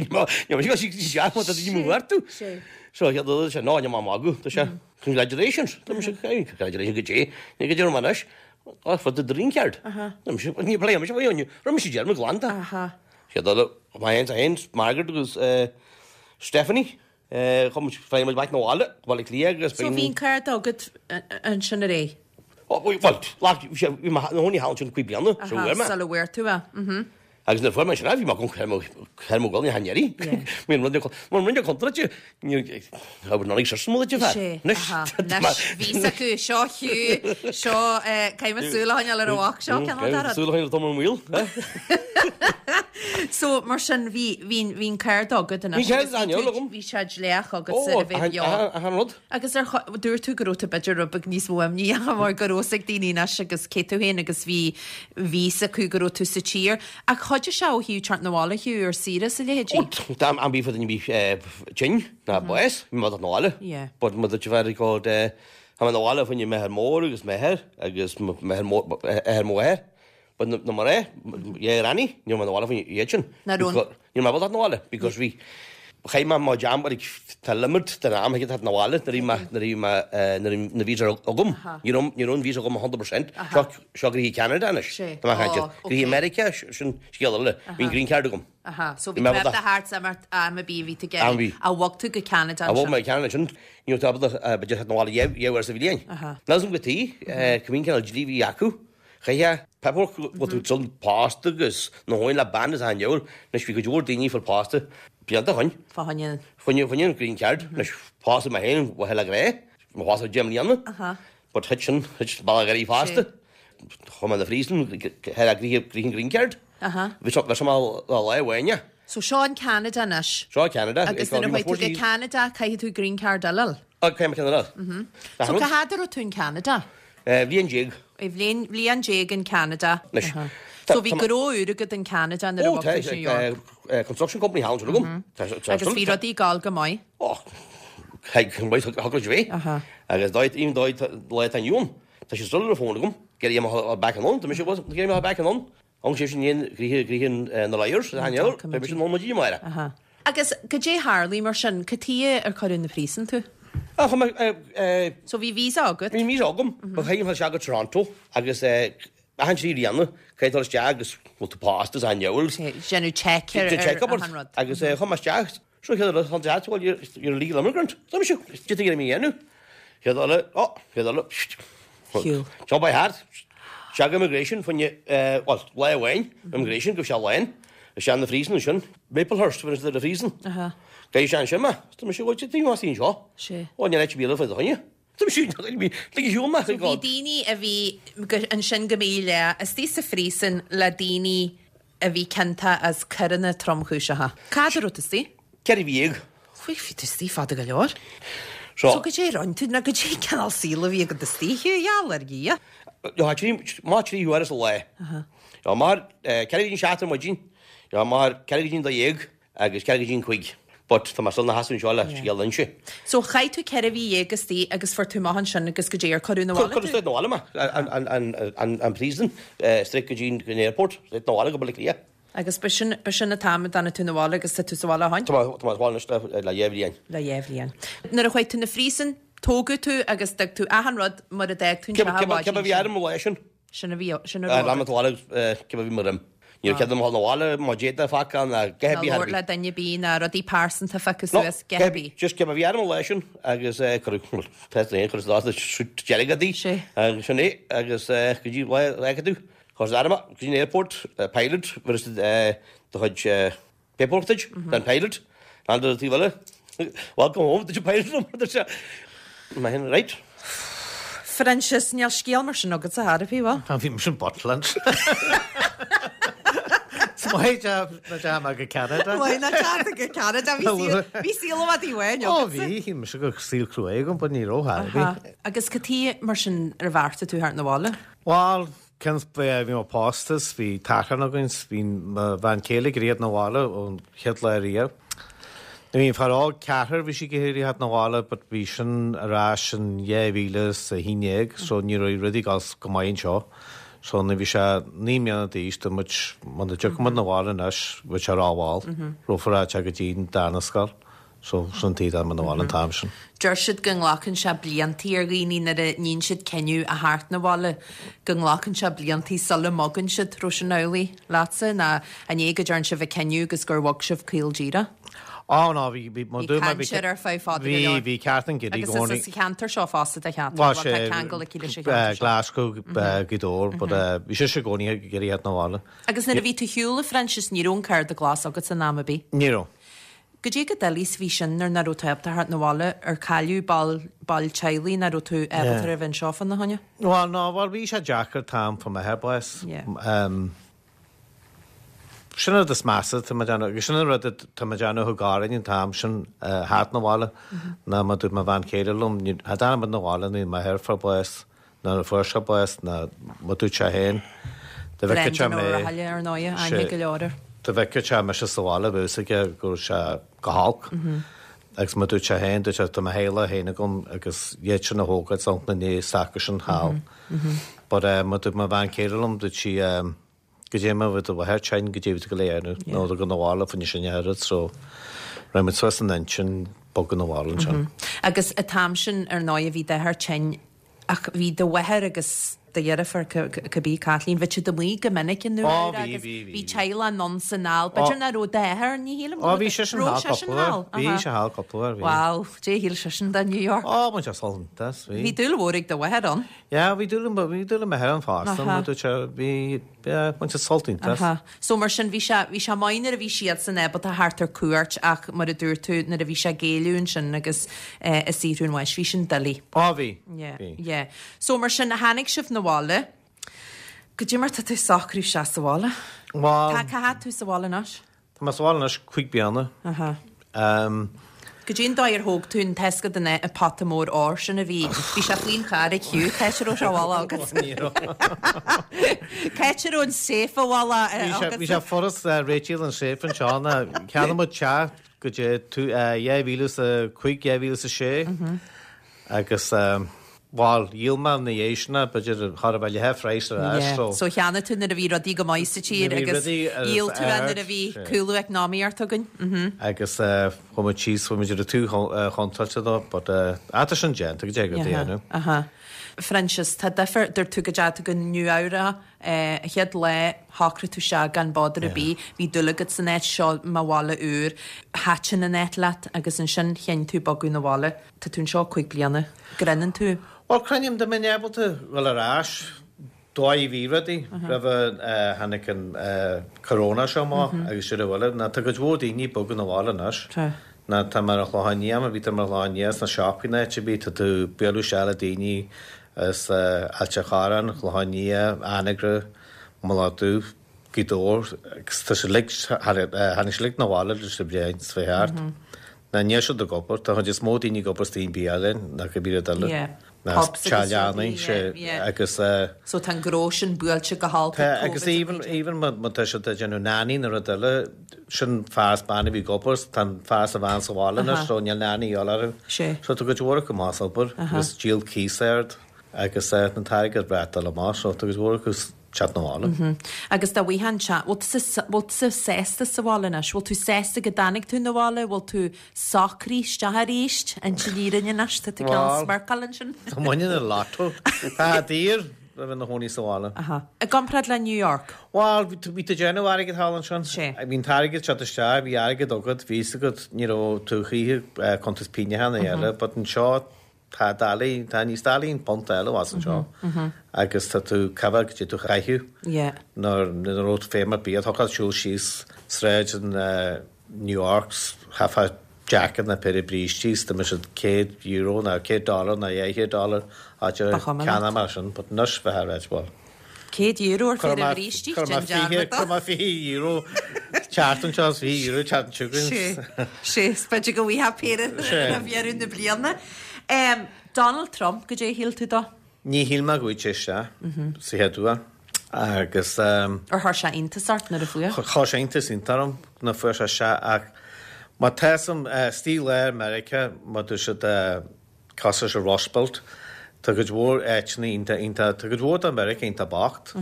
níl mise ag dul isteach má tá daoine mo chuartú. So, dúirt sé, no, níl mé ag magadh. Dúirt sé, congratulations. Dúirt mise, congratulations goidé, ní goidé orm anois. Oh, for the green card. Dúirt mise, ní pléim mise faoi rinne mise dearmad glan de. Sé dul, mé féin, Margaret agus Stephanie. Chuaigh muid, fuair muid back 'na bhaile, go Baile Átha Cliath agus So bhí an cárta agat ansin ar aghaidh? Bhuel, bhí mé i mo chónaí thall ansin cúig bliana, so bhí mé. Sula bhfuair tú é. Mhm. Agus nuair a fuair mé ansin é, bhí mé ag cur mo ghoil ní han iarraidh. Bhí an rud mar rinne contráilte, I would not exist mo duit fear. Anois, bhí fhios acu, seo Hugh, seo, caithfidh mé súil a choinneáil ar an mhac seo, cineál de rud. Súil a choinneáil ar Tom an Wheel. So, mar sin, bhí, bhí, bhí an cárta agat anois. Bhí cárta agam. Bhí sé dleathach agatsa a bheith beo. Achan rud. Agus ar, dúirt tú go raibh tú b'fhéidir rud beag níos mó imní mar go raibh fhios ag daoine anois agus cé tú féin agus bhí, bhí fhios acu go raibh tú sa tír. Ach chuidigh sé ó thaobh teacht 'na bhaile, Hugh, ar saoire is a leithéidí? Ó, dá mbeadh bhí duine ar bith tinn ná bás, bhí mé 'na bhaile. Yeah. But mo duit a bheith ag tá mé 'na bhaile fá choinne m'athair mór agus m'athair agus m'athair mór, athair mo mháthar. But na mná, yeah Granny, ní raibh mé 'na bhaile faoin iad sin. Nach raibh. Ní raibh mé ábalta 'na bhaile because bhí, chaith mé mo jam like tá limit den am a thig leat 'na bhaile nuair a bhí mé, nuair a bhí mé, nuair a bhí na visa agam. Ní raibh, ní raibh an visa agam 100%. Seo, seo gnoithí Ceanada anois. Sé. Tá mé ag caint. Gnoithí Meiriceá, sin scéal eile. Bhí an green card agam. Aha. So bhí tú ábalta theacht is imeacht am ar bith a bhí tú ag iarraidh. Ach bhog tú go Ceanada ansin. Bhog mé go Ceanada ansin. Ní raibh tú ábalta, b'fhéidir theacht 'na bhaile dhá uair sa bhliain. Níl 'fhios a'm cad chuige, cibé cineál dlí a bhí acu. Chaithfeá paperwork go bhfuil tú still pósta agus 'na chónaí le bean is achan diabhal. Anois bhí cuid mhór daoine a fuair pósta blianta ó shoin. Fá choinne. Fá choinne an green card. Anois pósadh mé féin mhaithe le grá. Bhí mé pósta 10 mbliana. But thit sin, thit bealach ar fosta. Chuaigh mé 'na phríosún thar a gnoithe an green card. Bhí sé mar lá amháin. So seo in Ceanada anois. Seo Ceanada. Agus nuair a chuaigh tú go Ceanada caithfidh tú green card eile a fháil. Caithfidh mé ceann eile a fháil. So cá fhad a raibh tú in Ceanada? Bhliain déag. Bhliain, bhliain déag in Ceanada. Anois. So bhí gnó úr agat in Ceanada nuair a bhog tú go New York. Ó, tá construction company thall ansin agam. Agus bhí rudaí ag gabháil go maith? Ó, go maith, thug muid bhí. Agus dóigh, even dóigh lá atá inniu ann, tá sé still ar an phone agam, ag iarraidh mé a fháil back anonn, tá mise, ag iarraidh mé a fháil back anonn. Thóg sé sin aon ghnoithe na lawyers, a thaitneodh, beidh mise in ann maidin amárach. Agus goidé tharlaigh mar sin, cad tuighe ar cuireadh na príosún tú? Ah, chuir mé. So bhí visa agat? Bhí visa agam, but chaith mé isteach go Toronto agus achan trí bliana caithfidh dul isteach agus bhfuil tú pósta is an diabhal. Déanamh check ar achan rud. Agus chuaigh mé isteach, seo chéad rud, an deas, well you're a legal immigrant. Tá mise, cad tuighe a raibh mé a dhéanamh? Chéad eile, ó, chéad eile, Shiúl. Seo by heart. Isteach immigration, fá choinne, bhuel, lá amháin, immigration, go raibh sé lán. Isteach na phríosún ansin, Maplehurst, bhí na phríosún. Gabh isteach ansin mé. Tá mise, bhuel, cad tuighe más í anseo? Sé. Ó, níl áit ar bith eile fá do choinne. Tá mise, lig a shiúl mé. So bhí daoine a bhí ansin go míleata, istigh sa phríosún le daoine a bhí ciontach as coireanna tromchúiseacha. Cá fhad a raibh tú istigh? 14 mhí. Bhí tú istigh fada go leor. So goidé a rinne tú, nó goidé an cineál saoil a bhí agat istigh, Hugh, gheall ar Dhia. Má 3 huaire sa lá. Mar 4 go dtí an 7 ar maidin, mar 4 go dtí an 12 agus 4 go dtí an 5. But tá mé still 'na sheasamh anseo le scéal a inse. So chaith tú 14 mhí istigh agus fuair tú amach ansin agus goidé ar cuireadh 'na bhaile tú? Cuireadh straight 'na bhaile mé, an prison, straight go dtí an airport, straight 'na bhaile go Baile Átha Cliath. Agus b'shin, b'shin an t-am a dtáinig tú 'na bhaile agus tá tú sa bhaile ó shoin? Tá mé, tá mé sa bhaile anois le, le dhá bhliain. Le dhá bhliain. Nuair a chuaigh tú 'na phríosún, tógadh tú agus d'fhág tú achan rud mar a d'fhág tú an teach an mhaidin sin. Cibé a bhí orm an lá sin. Sin a bhí, sin a raibh agat. Lean mé cibé a bhí mo dhroim. Ní raibh cead agam a dhul 'na bhaile má d'fhéadfá fágáil ná a dhath ar Ná bith labhairt le duine ar bith ná rudaí pearsanta a phiocadh suas, a dhath ar bith. Just cibé a bhí orm an lá sin agus cuireadh, bhuel, tá fhios a'd féin, cuireadh sa suit dearg ort Sé. agus sin é agus go dtí lá a fhágfaidh tú. Chuir arm go dtí an airport, pilot, bhris do chuid paperwork duit, den pilot, and an taobh eile, welcome home, dúirt an pilot liom, dúirt sé, mé féin, right. Proinsias, níl scéal mar sin agatsa ar bith, bhfuil? Tá, bhí mise in Butland. Is maith nach dteachaigh mé go Ceanada. Maith nach dteachaigh tú go Ceanada, bhí saol, bhí saol i bhfad uainn agatsa. Ó bhí, bhí mise go saol cruaidh agam, but ní raibh ar bith. Agus cad tuighe mar sin ar bheartaigh tú theacht 'na bhaile? Bhuel, cionn is bhí mé pósta 's bhí tachrán againn 's bhí mo bhean chéile ag iarraidh theacht 'na bhaile ón chéad lá riamh. Bhí an fear óg ceathrar bhí sí ag iarraidh theacht 'na bhaile but bhí sin ar ais in 2011 so ní raibh rudaí ag dul go maith anseo. So nuair bhí sé 9 mbliana d'aois dúirt muid muna dtiocfaidh muid 'na bhaile anois bheadh sé rómhall, raibh ar go dtí an darna scoil. So, sin an tuige a dtáinig muid 'na bhaile an t-am sin. Deir siad go nglacann sé bliantaí ar dhaoine nuair a níonn siad cinneadh a theacht 'na bhaile, go nglacann sé bliantaí sula mbogann siad. Raibh sin amhlaidh leatsa nó an é go dtearn sibh an cinneadh agus gur bhog sibh caol díreach? Ó ná, bhí, bhí, Bhí caint air ar feadh fada go leor. Bhí, bhí ceart an giddy Agus is as an cheantar seo fosta do Chathair, bhuel tá ceangal aici leis an cheantar seo. Glasgow, Gaoth Dobhair, but bhí sise i gcónaí ag iarraidh theacht 'na bhaile. Agus nuair a bhí tú ar shiúl, a Phroinsias, ní raibh an cárta glas agat in am ar bith? Ní raibh. Goidé chomh doiligh is a bhí sin nuair nach raibh tú ábalta theacht 'na bhaile, ar cailleadh ball, baill teaghlaigh nach raibh tú ábalta a bheith anseo fána choinne? Bhuel, ná, bhuel, bhí sé deacair t-am fá m'athair bás. Yeah. Sin an rud is measa atá mé ag déanamh, agus sin an rud atá mé ag déanamh a thug orainn an t-am sin theacht 'na bhaile, ná mar dúirt mo bhean chéile liom, cha dtáinig muid 'na bhaile nuair m'athair fuair bás, Nuair a fuair sé bás ná mar dúirt sé féin, dá bhfeicfeadh sé Brendan Ó mé, Rathaille, ar ndóighe, aithne go leor air. dá bhfeicfeadh sé mise sa bhaile bheadh fhios aige go raibh sé go holc. Agus mar dúirt sé féin, dúirt sé, tá mo theaghlach féin agam agus iad sin a thógáil is ina ndiaidh s'acusan thall. But mar dúirt mo bhean chéile liom, dúirt sí, Goidé má bhí do mháthair tinn, goidé bhí tú go léir nó do go 'na bhaile fá choinne sin a oiread so raibh muid suas an intinn bogadh 'na bhaile ansin. Agus an t-am sin ar ndóigh bhí d'athair tinn ach bhí do mháthair agus do dheirfiúr cibé Caitlín, bhí siad amuigh go minic i Nua Ó Eabhrac bhí, agus bhí, bhí. bhí teaghlach anonn 's anall. B'fhéidir nach raibh d'athair, ní shílim go Ó raibh bhí seisean raibh thall seisean cúpla uair, thall, bhí aha. sé thall cúpla uair, bhí. Wow, goidé a shíl seisean de New York. Ó bhain sé sult as, bhí. Bhí dúil mhór ag do mháthair ann. Yeah, bhí dúil, bhí dúil ag m'athair ann fosta, mar dúirt sé, bhí, yeah, bhain sé sult iontach as. Aha. So mar sin, bhí sé, bhí sé maith nuair a bhí siadsan ábalta theacht ar cuairt ach mar a dúirt tú, nuair a bhí sé ag géilleadh ansin agus eh ag saothrú an bháis, bhí sin doiligh. Á bhí, Yeah, bhí. yeah. So mar sin, tháinig sibh 'na bhaile. Goidé mar tá tú ag socrú isteach sa bhaile? Bhuel. Tá, cá fhad tú sa bhaile anois? Tá mé sa bhaile anois 5 bliana. Aha. Goidé an dóigh ar thóg tú an taoscadh den an pota mór óir sin a bhí, bhí sé faoin charr ag Hugh, cá háit a raibh sé i bhfolach agat? Ní raibh. Cá háit a raibh an safe i bhfolach agat? Bhí sé furast réitigh an safe anseo ná cheannaigh muid teach go dtí 2005, 2006 agus. Bhal, dhíol mé ina dhiaidh sin é, b'fhéidir chóir a bheith leath phraghas ar ais, so. So cheannaigh tú nuair a bhí rudaí go maith sa tír agus dhíol tú é nuair a bhí cúlú eacnamaíocht againn. Agus chuaigh muid síos, chuaigh muid ar an taobh chontráilte dó, but ah tá sin déanta, go dté go dté inniu. Aha. Phroinsias, tá difear, dúirt tú go dteachaigh tú go Nua Eabhrac an chéad lá, shocraigh tú isteach gan bother ar bith, bhí dúil agat san áit, seo mo bhaile úr, thaitin an áit leat agus ansin chinn tú bogadh 'na bhaile. Tá tú anseo 5 bliana. Grinneann tú? Bhuel, creidim dá mbeinn ábalta dhul ar ais, dóigh a bhí rudaí roimh a tháinig an corona seo amach agus sin uile. Ná tá cuid mhór daoine ag bogadh 'na bhaile anois. Ná tá mé ar an Chlochán Liath, má bhí tú ar an Chlochán Liath sna siopaí nó áit ar bith, tá tú ag bualadh isteach le daoine as Ailt a' Chorráin, Clochán Liath, Anagaire, Mullach Dubh. Gaoth Dobhair agus tá siad uilig, tháinig siad uilig 'na bhaile leis an bhliain seo thart. Ná níl siad ag obair, tá an chuid is mó daoine ag obair istigh i mbialann ná cibé rud eile. Ná Pubs agus teaghlaigh, sé, agus. So tá an gnó sin buailte go holc ag Covid. Agus even, even má tá siad ag déanamh nanny nó rud eile, sin fear is bean a bhí ag obair, tá an fear is an bhean sa bhaile anois so níl nanny a dhíobháil orthu. So tá cuid mhór acu amach as obair agus díol cíos ard agus an t-airgead breá ag dul amach so tá cuid mhór acu teacht 'na bhaile. Agus dá bhfaighfeá an tseans, bhfuil tusa, bhfuil tusa sásta sa bhaile anois? Bhfuil tú sásta go dtáinig tú 'na bhaile? Bhfuil tú socraithe isteach arís? Inse an fhírinne anois, tá tú cineál Bhuel, smirceáil ansin. tá muinín ar lotto. Tá daor a bheith 'na chónaí sa bhaile. Aha. I gcomparáid le New York? Bhuel, bhí tú, bhí tú ag déanamh airgid thall ansin. Sé. Bhí an t-airgead teacht isteach, bhí airgead agat, bhí fhios agat, ní raibh tú choíche cuntas pínneacháin a eile, but anseo, Tá doiligh, tá níos doiligh an punt a fháil as anseo agus tá tú coimhead go dtí tú chaitheamh nuair ní raibh feidhm ar bith. Thiocfadh leat siúl síos sráid in New York chaithfeá jacket ná péire brístí is dá mbeadh siad €100 ná $100 ná $200 áit ar ceannach mar sin but anois bheith ar bhuel. €100 ar phéire brístí, déan dearmad dó. Chuir mé €20 tseachtain seo is €20 tseachtain seo chugainn. Sé, sé, is b'fhéidir go bhfaighfeá péire roimh dheireadh na bliana. Donald Trump, goidé a shíl tú dó? Ní shíl mé go bhfaighfeadh sé isteach sa chéad uair agus. Ar chuir sé iontas ort nuair a fuair? Chuir sé iontas iontach orm nuair a fuair sé isteach ach má tá fhios a'm, istigh i lár Meiriceá, má dúirt siad Cosúil leis an Rust Belt, tá cuid mhór áiteanna iontach, iontach, tá cuid mhór de Mheiriceá iontach bocht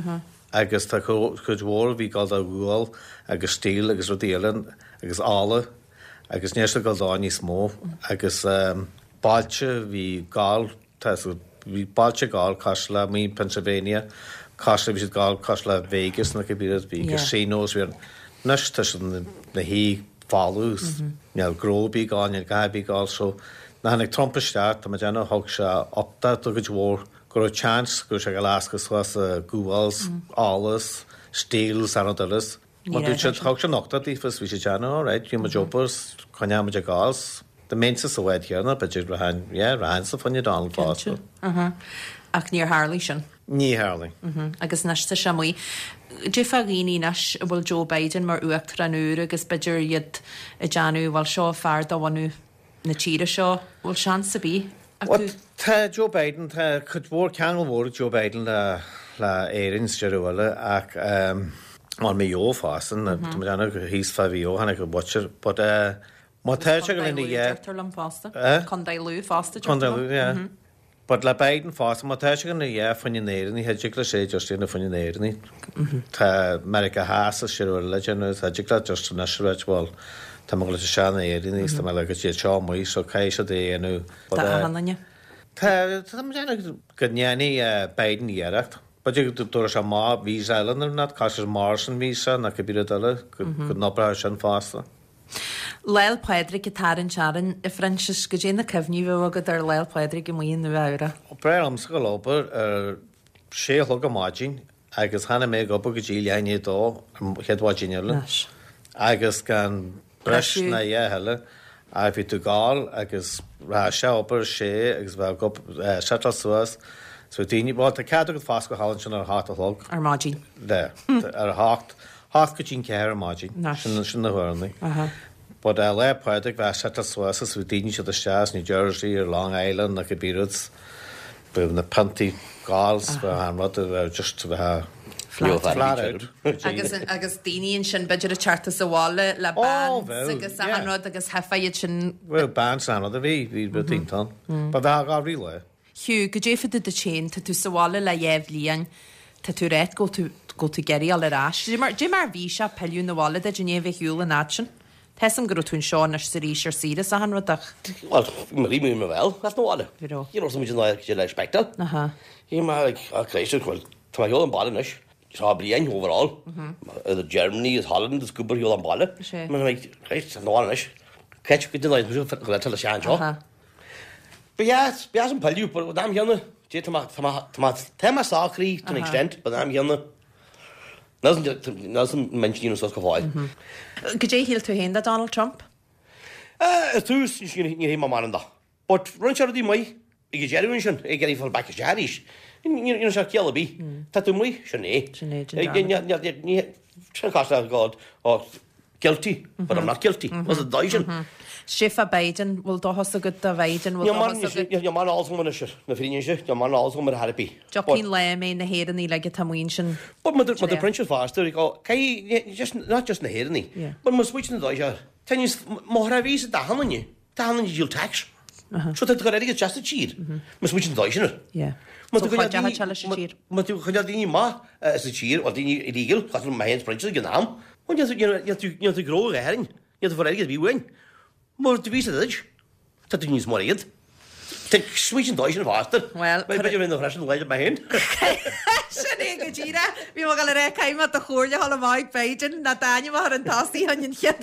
agus tá cuid mhór a bhí ag gabháil do ghual agus steel agus rudaí eile agus ola agus níl siad ag gabháil dó níos mó agus bailte a bhí ag gabháil, tá bhí bailte ag gabháil cosúil le amuigh in Pennsylvania, cosúil le bhí siad ag gabháil cosúil le Vegas nó cibé rud, bhí casinos, bhí anois tá siad ina shuí folamh, níl gnó ar bith ag gabháil, níl a dhath ar bith ag gabháil so nuair a tháinig Trump isteach, tá mé ag déanamh, thug sé uchtach do chuid mhór, go raibh chance go raibh sé ag gabháil a lascadh suas gual, ola, steel is achan rud eile. Má dúirt siad, thug sé an uchtach daofa is bhí siad ag déanamh, alright, bhí muid obair is coinneoidh muid ag gabháil is dá mbeinnse sa bhád chéanna, b'fhéidir rachainn, yeah, rachainnse fá choinne Donald fosta. Cinnte. Ach níor tharlaigh sin. Ní tharlaigh. Agus anois tá sé amuigh. Goidé fá dhaoine anois a bhfuil Joe Biden mar uachtarán úr agus b'fhéidir iad ag déanamh, bhuel seo fear de bhunadh na tíre seo, bhfuil seans ar bith acu? Bhuel, tá Joe Biden, tá cuid mhór, ceangal mhór ag Joe Biden le le Éirinn sa deireadh eile ach bhuel Maigh Eo fosta, tá mé ag déanamh thíos fá Mhaigh Eo, tháinig an butcher, but má tá sé go Contae lena Lú, dhea. deirtear liom fosta. Eh? Contae Lú fosta, deirtear Contae liom. Lú, yeah. But le Biden fosta, má tá sé ag dul ina dhath fá choinne na hÉireannaigh, cha dtig leis é just a dhéanamh fá choinne na hÉireannaigh. Tá Meiriceá Theas is sin uile le déanamh, cha dtig leat just anois a ráit bhuel, tá mé ag dul isteach na hÉireannaigh is tá mé le go dtí seo amuigh so caithfidh siad é a dhéanamh. But Do achan duine. Tá, tá mé ag déanamh go ndéanfaidh Biden iarracht. B'fhéidir go dtabharfaidh sé amach visa eile nó not, cosúil leis Morrison visa nó cibé rud eile, go n-oibreoidh sin fosta. Lá'l Pádraig ag tarraingt orainn, a Phroinsias, goidé na cuimhní a bheadh agat ar Lá'l Pádraig amuigh i Nua Eabhrac? Ba bhreá liomsa dul ag obair ar sé a chlog ar maidin agus tháinig mé ag obair go dtí leath i ndiaidh a dó an chéad mhaidin eile agus gan breis ná a dhath eile ach bhí tú ag gabháil agus rachadh sé ag obair ar sé agus bheadh ag obair settláil suas so daoine bhuel tá cead agat foscadh thall ansin ar a hocht a chlog. Ar maidin. Le ar a hocht Hocht go dtí'n ceathair ar maidin. Sin sin na huaireanna. But Lá Pádraig bheadh settláil suas is bhí daoine siad isteach as New Jersey or Long Island nó cibé rud. Bheadh na piontaí ag ól 's bheadh an rud a bheadh just bheadh flat out. Agus agus daoine ansin b'fhéidir ag teacht as an bhaile le bands agus achan rud agus theifeadh iad sin. Bheadh bands an rud a bhí bhí rud iontach ann. But bheadh á rí lá. Hugh, goidé fá dtaobh duit féin, tá tú sa bhaile le dheá bhliain, tá tú ag ráit go bhfuil tú, go bhfuil tú ag iarraidh dul ar ais. Goidé mar, goidé mar a bhí sé pilleadh 'na bhaile duit i ndiaidh a bheith ar shiúl an fhad sin? Tá 'fhios a'm go raibh tú anseo anois 's arís ar saoire 's achan rud ach. Bhuel, bhí mé bhí mé bhfuil, as na bhaile. Bhí raibh. You know, muid in áit le spectacle. Aha. Bhí mé like, oh Christ, bhuel, tá mé ar shiúl an baile anois. Seo bliain overall. Idir Germany is Holland is cúpla ar shiúl an baile. Sé. Mé like, Christ, tá na bhaile anois. Catch go dtí an go le sean seo. Aha. Ba dheas, ba dheas an pilleadh, but an am chéanna, dé tá mé, tá mé, tá mé, tá mé socraithe to an extent, but an am chéanna, Níl m'intinn suas go fóill. Goidé a shíl tú féin de Donald Trump? Ar tús, ní shíl mé mórán de. But rinne sé rudaí maith ag an deireadh ansin, ag iarraidh fáil back isteach arís. Ní raibh sé ciall ar bith. Tá tú amuigh, sin é. Sin é, sin é. Sin cás le God, oh, guilty, but I'm not guilty. Was it dóigh sin? Sé fá Biden, bhfuil dóchas agat do Biden, bhfuil dóchas agat? Níl mórán eolas agam anois, na fírinne sin, níl mórán eolas agam ar chor ar bith. Tiocfaidh lá a mbeidh na hÉireannaigh uilig atá amuigh ansin. But má tá Proinsias fosta, oh, caithfidh, just, not just na hÉireannaigh, but má smaoitíonn an dóigh seo, tá níos, má thra bhí sa dath an Tá an díol tax. So tá tú ag cur airgead isteach sa tír. Má smaoitíonn an dóigh sin air. Má tú coinneáil daoine, má tú coinneáil daoine maith sa tír, bhuel daoine illegal, cosúil le mé féin is Proinsias ag an am, bhuel níl tú, níl tú, níl tú gnó a Éirinn, níl tú fuair airgead ar bith uainn. Má do bhí sa duit, tá tú níos mó airgead. Smaoitigh an dóigh sin fosta. Bhuel, B'fhéidir bheith ina threis an lae mé féin. Sin é go díreach. Bhí mé ag dul a rá caithfidh mé do chomhairle a fháil amach ag Biden ná d'ainm a chur chun tosaigh chun an chéad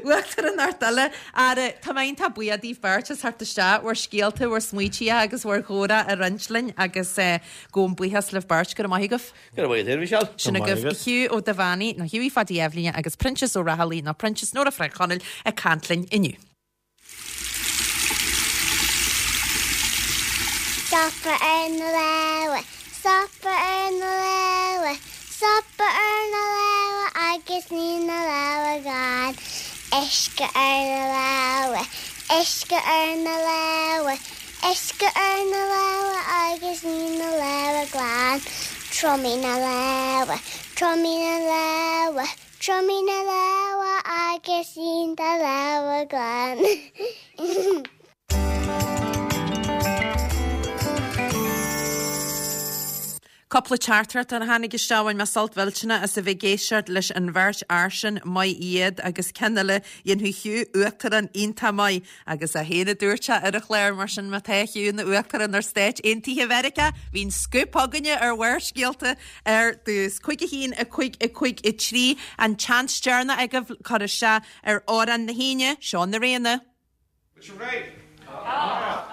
uachtaránacht eile. Ara, tá mé iontach buíoch daoibh beirt as theacht isteach, bhur scéalta, bhur smaoitithe agus bhur gcomhrá a roinnt linn agus gabhaim buíochas libh beirt. Go raibh maith agaibh. Go raibh maith agat, a Mhichelle. Sin agaibh Hugh Ó Duibheannaigh, nó Hughie Phaidí Eibhlíne agus Proinsias Ó Raghallaigh, nó Proinsias Nóra Frainc Chonaill ag caint linn inniu. Stopadh ar na lámha, stopadh ar na lámha, stopadh ar na lámha agus ní na lámha glan. Uisce ar na lámha, uisce ar na lámha, uisce ar na lámha agus ní na lámha glan. Triomaigh na lámha, triomaigh na lámha, Triomaigh na lámha agus líon do lámha glan. Cúpla teachtaireacht a tháinig isteach bhain mé sult mhillteanach as a bheith ag éisteacht leis an bheirt fhear sin, maith iad, agus ceann eile, dhéanfadh Hugh uachtarán iontach maith agus é féin a dúirt sé ar an chlár, mar sin má tá Hugh ina uachtarán ar Stáit Aontaithe Mheiriceá, bhí an scúp againne ar Bharrscéalta ar dtús. 5 1 5 5 3 An tseans deireanach agaibh cur isteach ar Amhrán na hAoine, seo na Réanna. Bhfuil sibh réidh? Tá!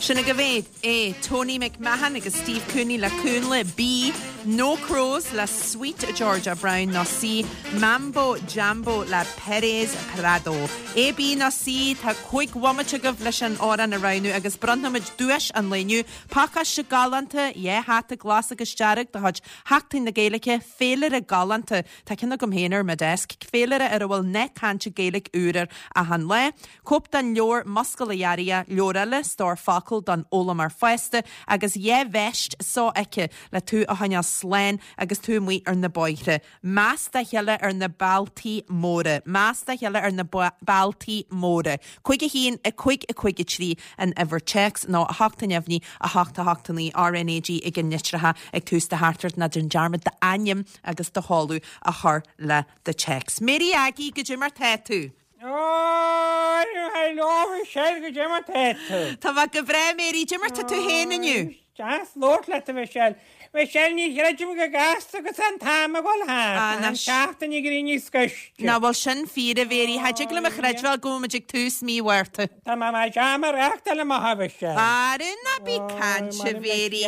Sin agaibh é. A. Tony McMahon agus Steve Cooney le Cúnla B. No Crows le Sweet Georgia Brown nó C. Mambo Jambo le Perez Prado. A, B nó C, tá 5 bhomaite agaibh leis an amhrán a roghnú agus bronnfaimid duais an lae inniu, pacáiste galánta, dhá hata glas agus dearg de chuid Sheachtain na Gaeilge, féilire galánta, tá ceann agam féin ar mo desk, féilire ar a bhfuil nath cainte Gaeilge úr air achan lá, cóip den leabhar Muscail a Gharraidhe, leabhar eile, Stór Focal don Fhoghlaimeoir Fásta agus dhá veist sofheicthe le tú a choinneáil slán agus tú amuigh ar na bóithre. Meas dá chéile ar na bealtaí móra. Meas dá chéile ar na bealtaí móra. 5 1 5 5 3 an uimhir téacs nó 8 neamhní 8 8 9 RNAG ag an litreacha ag tús do theachtaireacht ná déan dearmad d'ainm agus do sheoladh a chur le do téacs. Mary Aggie, goidé mar tá tú? Hello, Michelle, goidé mar tá tú? Tá mé go breá, Mary. Goidé mar tá tú féin inniu? Deas labhairt leat, a Mhichelle. Michelle, ní chreidim go gasta agus an t-am ag dul thart, tá an tseachtain ag éirí níos gaiste. Nach bhfuil sin fíor, a Mhary? Cha dtig liom a chreidbheáil go bhfuil muid ag tús mí Mhárta. Tá mé mar jam a reáchtáil amach, a Mhichelle. Ara, ná bí ag caint, a Mhary.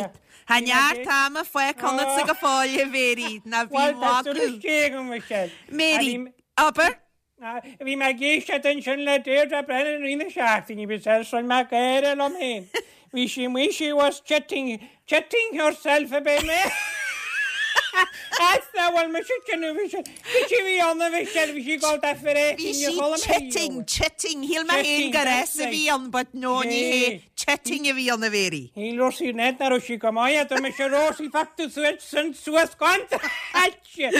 Tá neart ama fágtha ionatsa go fóill, a Mhary. Ná bí ag magadh. Bhuel, tá súil istigh agam, Michelle. Mary, abair. Bhí mé ag éisteacht ansin le Deirdre Brennan i rith na seachtaine, bhí sé rinne mé gáire liom féin. Bhí sí amuigh, she was chitting, chitting herself a bit mé. As na bhfuil mise ag déanamh, bhí sí, bhí sí bhí ann a bhí sí, bhí sí ag dul dá fir Bhí sí chitting, chitting, shíl mé féin gur S a bhí ann but no ní hé, chitting a bhí ann a Mhéirí. Shíl Rosie Ned nach raibh sí go maith, dúirt mise Rosie fág tú suas, suas gan Sé,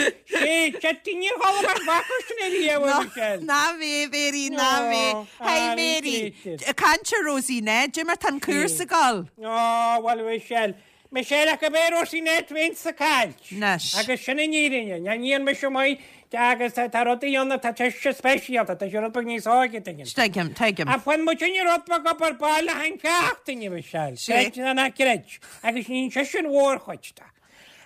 chitting níor chuala mé an focal sin ariamh, a Michelle. Ná mé, a Mhéirí, ná mé. Hey, Mary, caint ar Rosie Ned, cad é mar tá an cúrsa ag dul. Ó, bhuel, a Mhichelle. Michelle, ach go b'é Rosie Ned féin sa chailc. Anois. Agus sin an fhírinne. Ní níonn mise maith agus tá rudaí ann atá sise speisialta, tá sé rud beag níos óige tuigim. Tuigim, tuigim. Ach bhain muid inniu rud beag obair baile an tseachtain, a Michelle. Creid nó ná creid. Agus ní sise an mhórchuid de.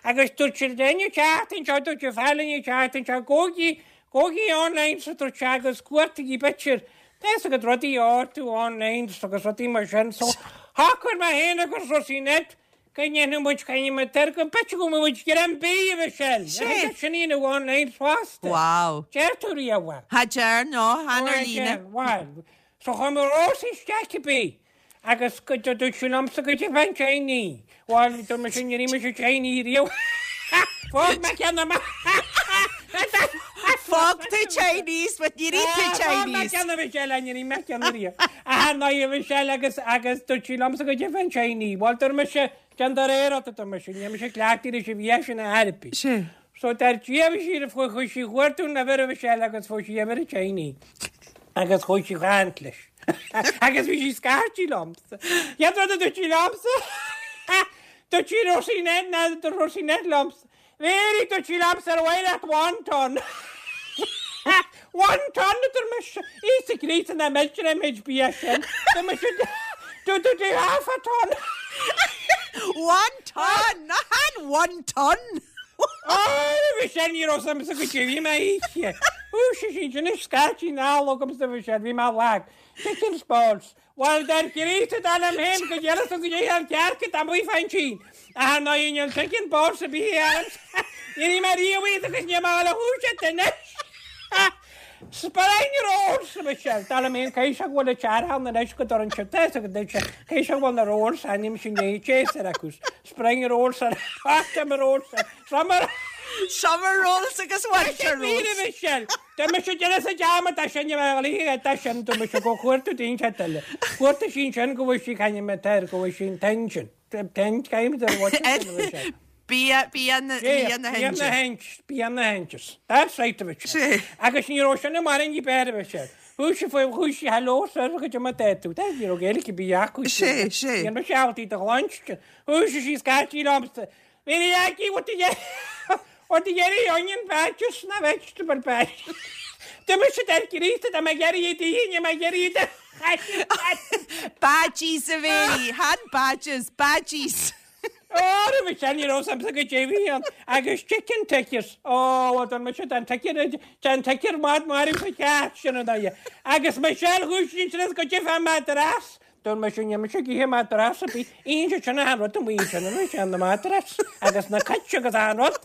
Agus dúirt siad linn an tseachtain seo, dúirt an fear linn an tseachtain seo, gabhaigí, gabhaigí online so dúirt sé agus cuartaigí b'fhéidir, tá fhios agat rudaí a ordú online agus rudaí mar sin. So shocraigh mé féin agus Rosie Ned go ndéanfadh muid coinne ar go b'fhéidir go mbeadh muid greim bídh a Mhichelle. Sé. Sin í nó online fosta. Wow. Deir tú riamh é. Cha deir, no, chan ar líne. Bhuel, so chuir mé Rosie isteach cibé. Agus go dúirt sí liomsa go dtí an Chinese. Bhuel, dúirt mise níor ith mise Chinese riamh. Fág mé ceann amach. Fág tú Chinese, but níor ith tú Fág mé Chinese. ceann a Michelle, níor ith mé ceann riamh. Ah, ná a Michelle agus agus dúirt sí liomsa go dtí an Chinese. Bhuel, dúirt mise, déan do réir ort, dúirt mise, níl mise cleachtaithe leis an bhia sin ar bith. Sé. So dar Dia bhí sí fuair chuaigh sí chuartú na bhfir a Mhichelle agus fuair sí uimhir an Chinese agus chuaigh sí chaint leis. Agus bhí sí scairtí liomsa. Chéad rud a dúirt sí liomsa dúirt sí Rosie Ned ná dúirt Rosie Ned liomsa. Mary dúirt sí liomsa ar mhaith leat wonton. Wonton a dúirt mise. Íosa Críost nach milltear an méid bia sin. Dúirt mise dúirt dúirt half a ton. One ton! Ná han one ton! Ó, bhí sé ní raibh suim sa go dtí bhí mé oíche. Ó, sé sin sin is scaití ná agamsa bhí sé bhí mé lag. Chicken balls. Bhuel, dar Críost atá liom féin go deireadh go dtí an cearc atá amuigh fán tSín. Ach ná níl chicken balls a bith orm. Ní raibh mé riamh iad agus níl mé a dhúiseacht anois. Spring rolls, a Michelle. Dar liom féin caithfidh sé go bhfuil an teartha ann anois go dtorann siad é agus deir sé caithfidh sé go bhfuil na rolls ainm sin é Chase ar acu. Spring rolls ar autumn rolls summer Summer rolls agus winter rolls. Míle Michelle. Tá mise déanamh sa dearmad é sin a bheith ligthe é sin tá mise go cuartú daoine ceart eile. Cuartaigh sí ansin go bhfuil sí caithfidh mé air go bhfuil sí an t-aon sin. Ten times ar what Bia bia na bia na Bia na hInde. hInde, bia na hInde. That's right a Mhichelle. Sé. Agus ní raibh sin i mbarr ní b'fhearr a Mhichelle. Chuaigh sí faoi chuaigh sí hello sir go dtí ma deir tú. Ní raibh Gaeilge ar bith acu. Sé, sé. Ní raibh sé ábalta do ghluaistean. Chuaigh sí scaití liomsa. Bhí aici what the what the onion onion patches na vegetable patch. D'imigh siad ar Chríost dá mbeadh iarraidh iad a ithe, ní mbeadh iarraidh iad a Badges a Mhéirí, chan badges, badges. Ó, roimhe sin ní raibh suim sa go dtí ann agus chicken tickers. Ó, bhuel, d'fhan mise den ticker, den ticker mad marbh sa cheart sin an dóigh. Agus Michelle chuaigh sí ansin go dtí fá madras. Dúirt mise, níl mise ag ithe madras ar bith. Itheann siad sin achan rud amuigh ansin, an bhfuil sé na madras agus na cait agus achan rud.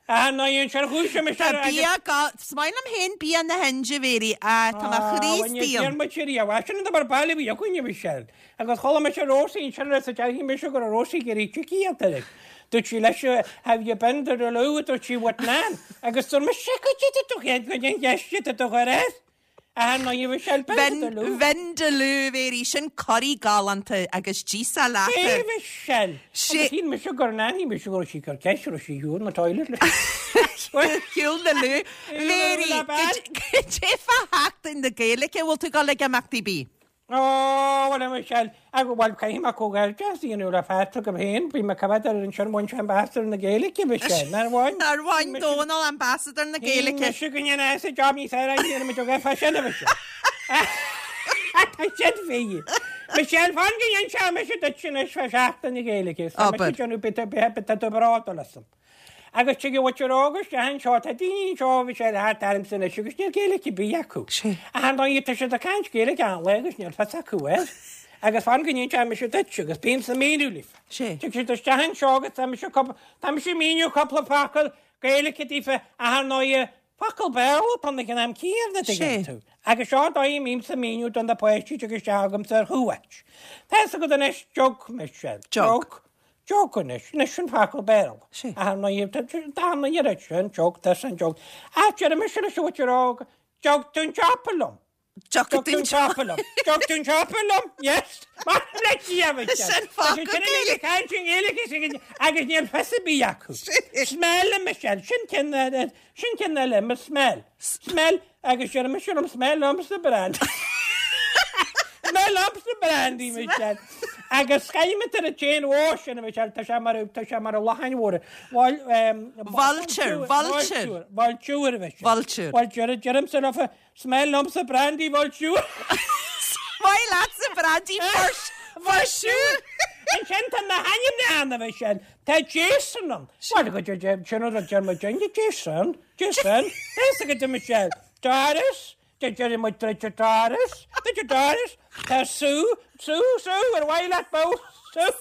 Ah, ná dhéan sé ar chúis mise Tá ar agus. bia go, is maith liom féin bia na hInde, a Mhéirí, ah, tá mo Ah, chroí bhain istigh an ann. muid riamh, ah, sin an tobar baile a bhí againn, a Mhichelle. Agus chuala mise Rosie ansin ar sa déarfaidh mise go raibh Rosie ag iarraidh chicky a fháil. Dúirt sí leis, have you been to the loo, dúirt sí, with Nan. Agus dúirt mise, go dtí tú chéad go dtí an cheist atá tú chur air. Ah, ná you Michelle, been to the loo. Vindaloo, a Mhéirí, sin curaí galánta agus d'íosfá leat é. É. Michelle! Sé. Agus shíl mise gur nan, shíl mise go raibh sí gur ceist raibh sí shiúl na toilet leis. Shiúl na loo. Mhéirí, goidé fá Sheachtain na Gaeilge, bhfuil tú ag dul ag imeachtaí ar bith? Ó, bhuel, a Michelle, agus bhuel, caithfidh mé comhghairdeas a dhéanamh le Patrick agam féin, bhí mé coimhéad ar ansin, bhain sé Ambassador na Gaeilge, Michelle, nár bhain? Nár bhain Dónal Ambassador na Gaeilge? Shíl mise go ndéanfaidh sé job níos fearr a dhéanamh muid ó fá sin, a Michelle. Tá sin fíor. Michelle, fan go ndéanfaidh mise duit anois fá Sheachtain na Gaeilge, tá mise ag déanamh bit bit bit bródúil asam. Agus tig an mhuintir óg isteach anseo, tá daoine anseo a bhí sé thart ormsa anois agus níl Gaeilge ar bith acu. Ach ar ndóigh tá siad ag caint Gaeilge achan lá agus níl fios acu air. Agus fan go n-inseoidh mise duit agus bímse ag míniú libh. Tig siad isteach anseo agus tá mise cúpla, tá mise ag míniú cúpla focal Gaeilge daofa ach ar ndóigh. Focal Béarla atá ann ag an am céanna, an dtuigeann tú. Agus seo an dóigh a mbímse ag míniú do na páistí a dtig isteach agamsa ar chuairt. Tá fhios agat anois, jug, Michelle. Jug. Jug anois. Anois sin focal Béarla. Ach nó tá an oiread sin, jug, this and jug. Ach deir mise leis an mhuintir óg, Jug tú an siopa liom. Dtiocfaidh tú an siopa liom. Dtiocfaidh tú an siopa liom? Yes. Maith le Dia, Michelle. Sin focal Gaeilge. Ag caint i nGaeilge agus níl fios ar bith acu. Smell, a Michelle. Sin ceann sin ceann eile, mo smell. Smell agus deir mise liom smell liomsa brandy. Smell liomsa brandy, Michelle. Agus scaimint ar an tséin mhór sin, a Michelle, tá sé mar tá sé mar a lacháin mhóra. Vulture, vulture. Vulture, a Michelle. Vulture. Vulture, deirimse leofa, Smell liomsa brandy vulture. Maith leatsa brandy for sure. Ansin tá na hainmneacha ann a Mhichelle. Tá Jason ann. Bhuel go dtí sin an rud deir muid inniu Jason, Jason. Tá fhios agat a Mhichelle. Doris, deir muid Doris, Doris. Tá Sue, Sue, Sue, ar mhaith leat bó, Sue.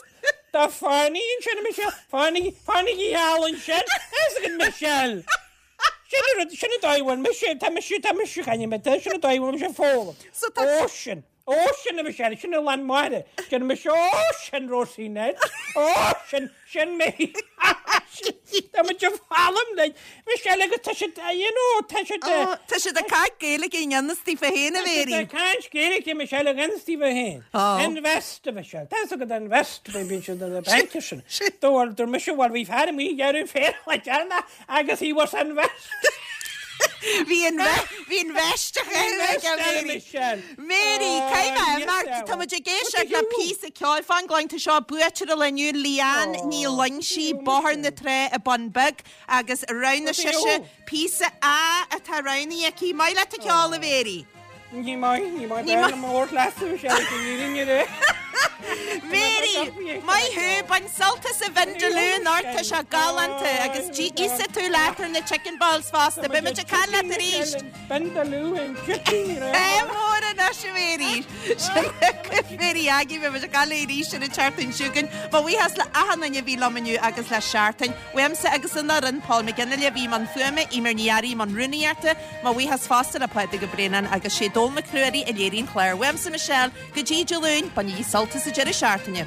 Tá Fanny ansin a Mhichelle. Fanny, Fanny gheal ansin. Tá fhios agat Michelle. Sin an rud, sin an dóigh a bhfuil mise, tá mise, tá mise ag caint, tá, sin an dóigh a bhfuil mise ag foghlaim. So tá. Ocean, ocean a Mhichelle, sin an lán mara. Deir mise ocean, Rosie Ned, ocean, sin mé. Tá muid ag foghlaim like, Michelle agus tá siad, you know, tá siad. Ó, tá siad ag caint Gaeilge i ngan fhios daofa féin a Mhéirí. Tá siad ag caint Gaeilge Michelle i ngan fhios daofa féin. Invest a Michelle, tá fhios agat invest, bíonn siad ar na bainc sin. Dúirt mise, bhuel bhí fear amuigh ag iarraidh féar le déanamh Agus he was invest. Bhí an bhí an veist a chaitheamh aige Mary. Mary, caithfidh mé imeacht, tá muid ag éisteacht le píosa ceoil fan go tá seo buaiteoir an lae inniu Leanne Ní Loingsigh, Bóthar na Trá i Bun Beag agus roghnaigh sise píosa A atá roghnaithe aici. Maith leat an ceol a Mhary. Ní maith, ní maith, ní maith. Mór leasú sé go ní ré. Mary, maith thú, bain sult as an Vindaloo anocht, tá sé galánta agus íosfaidh tú leat ar na chicken balls fosta. Beidh muid ag caint leat arís. Vindaloo and chicken. É mór anois a Mhary. Sin Mary Aggie, beidh muid ag caint léi arís ar an tseachtain seo chugainn. Mo bhuíochas le achan duine a bhí liom inniu agus le Seachtain. Uaimse agus an fhoireann, Paul McGinley a bhí i mbun fuaime, Eimear Ní Fhearraigh i mbun rúnaíochta, Mo bhuíochas fosta le Pádraig Ó Braonáin agus sé Dónall Mac Ruairí a léirigh an clár. Uaimse Michelle, go dtí Dé Luain, bainigí sult as an deireadh seachtaine.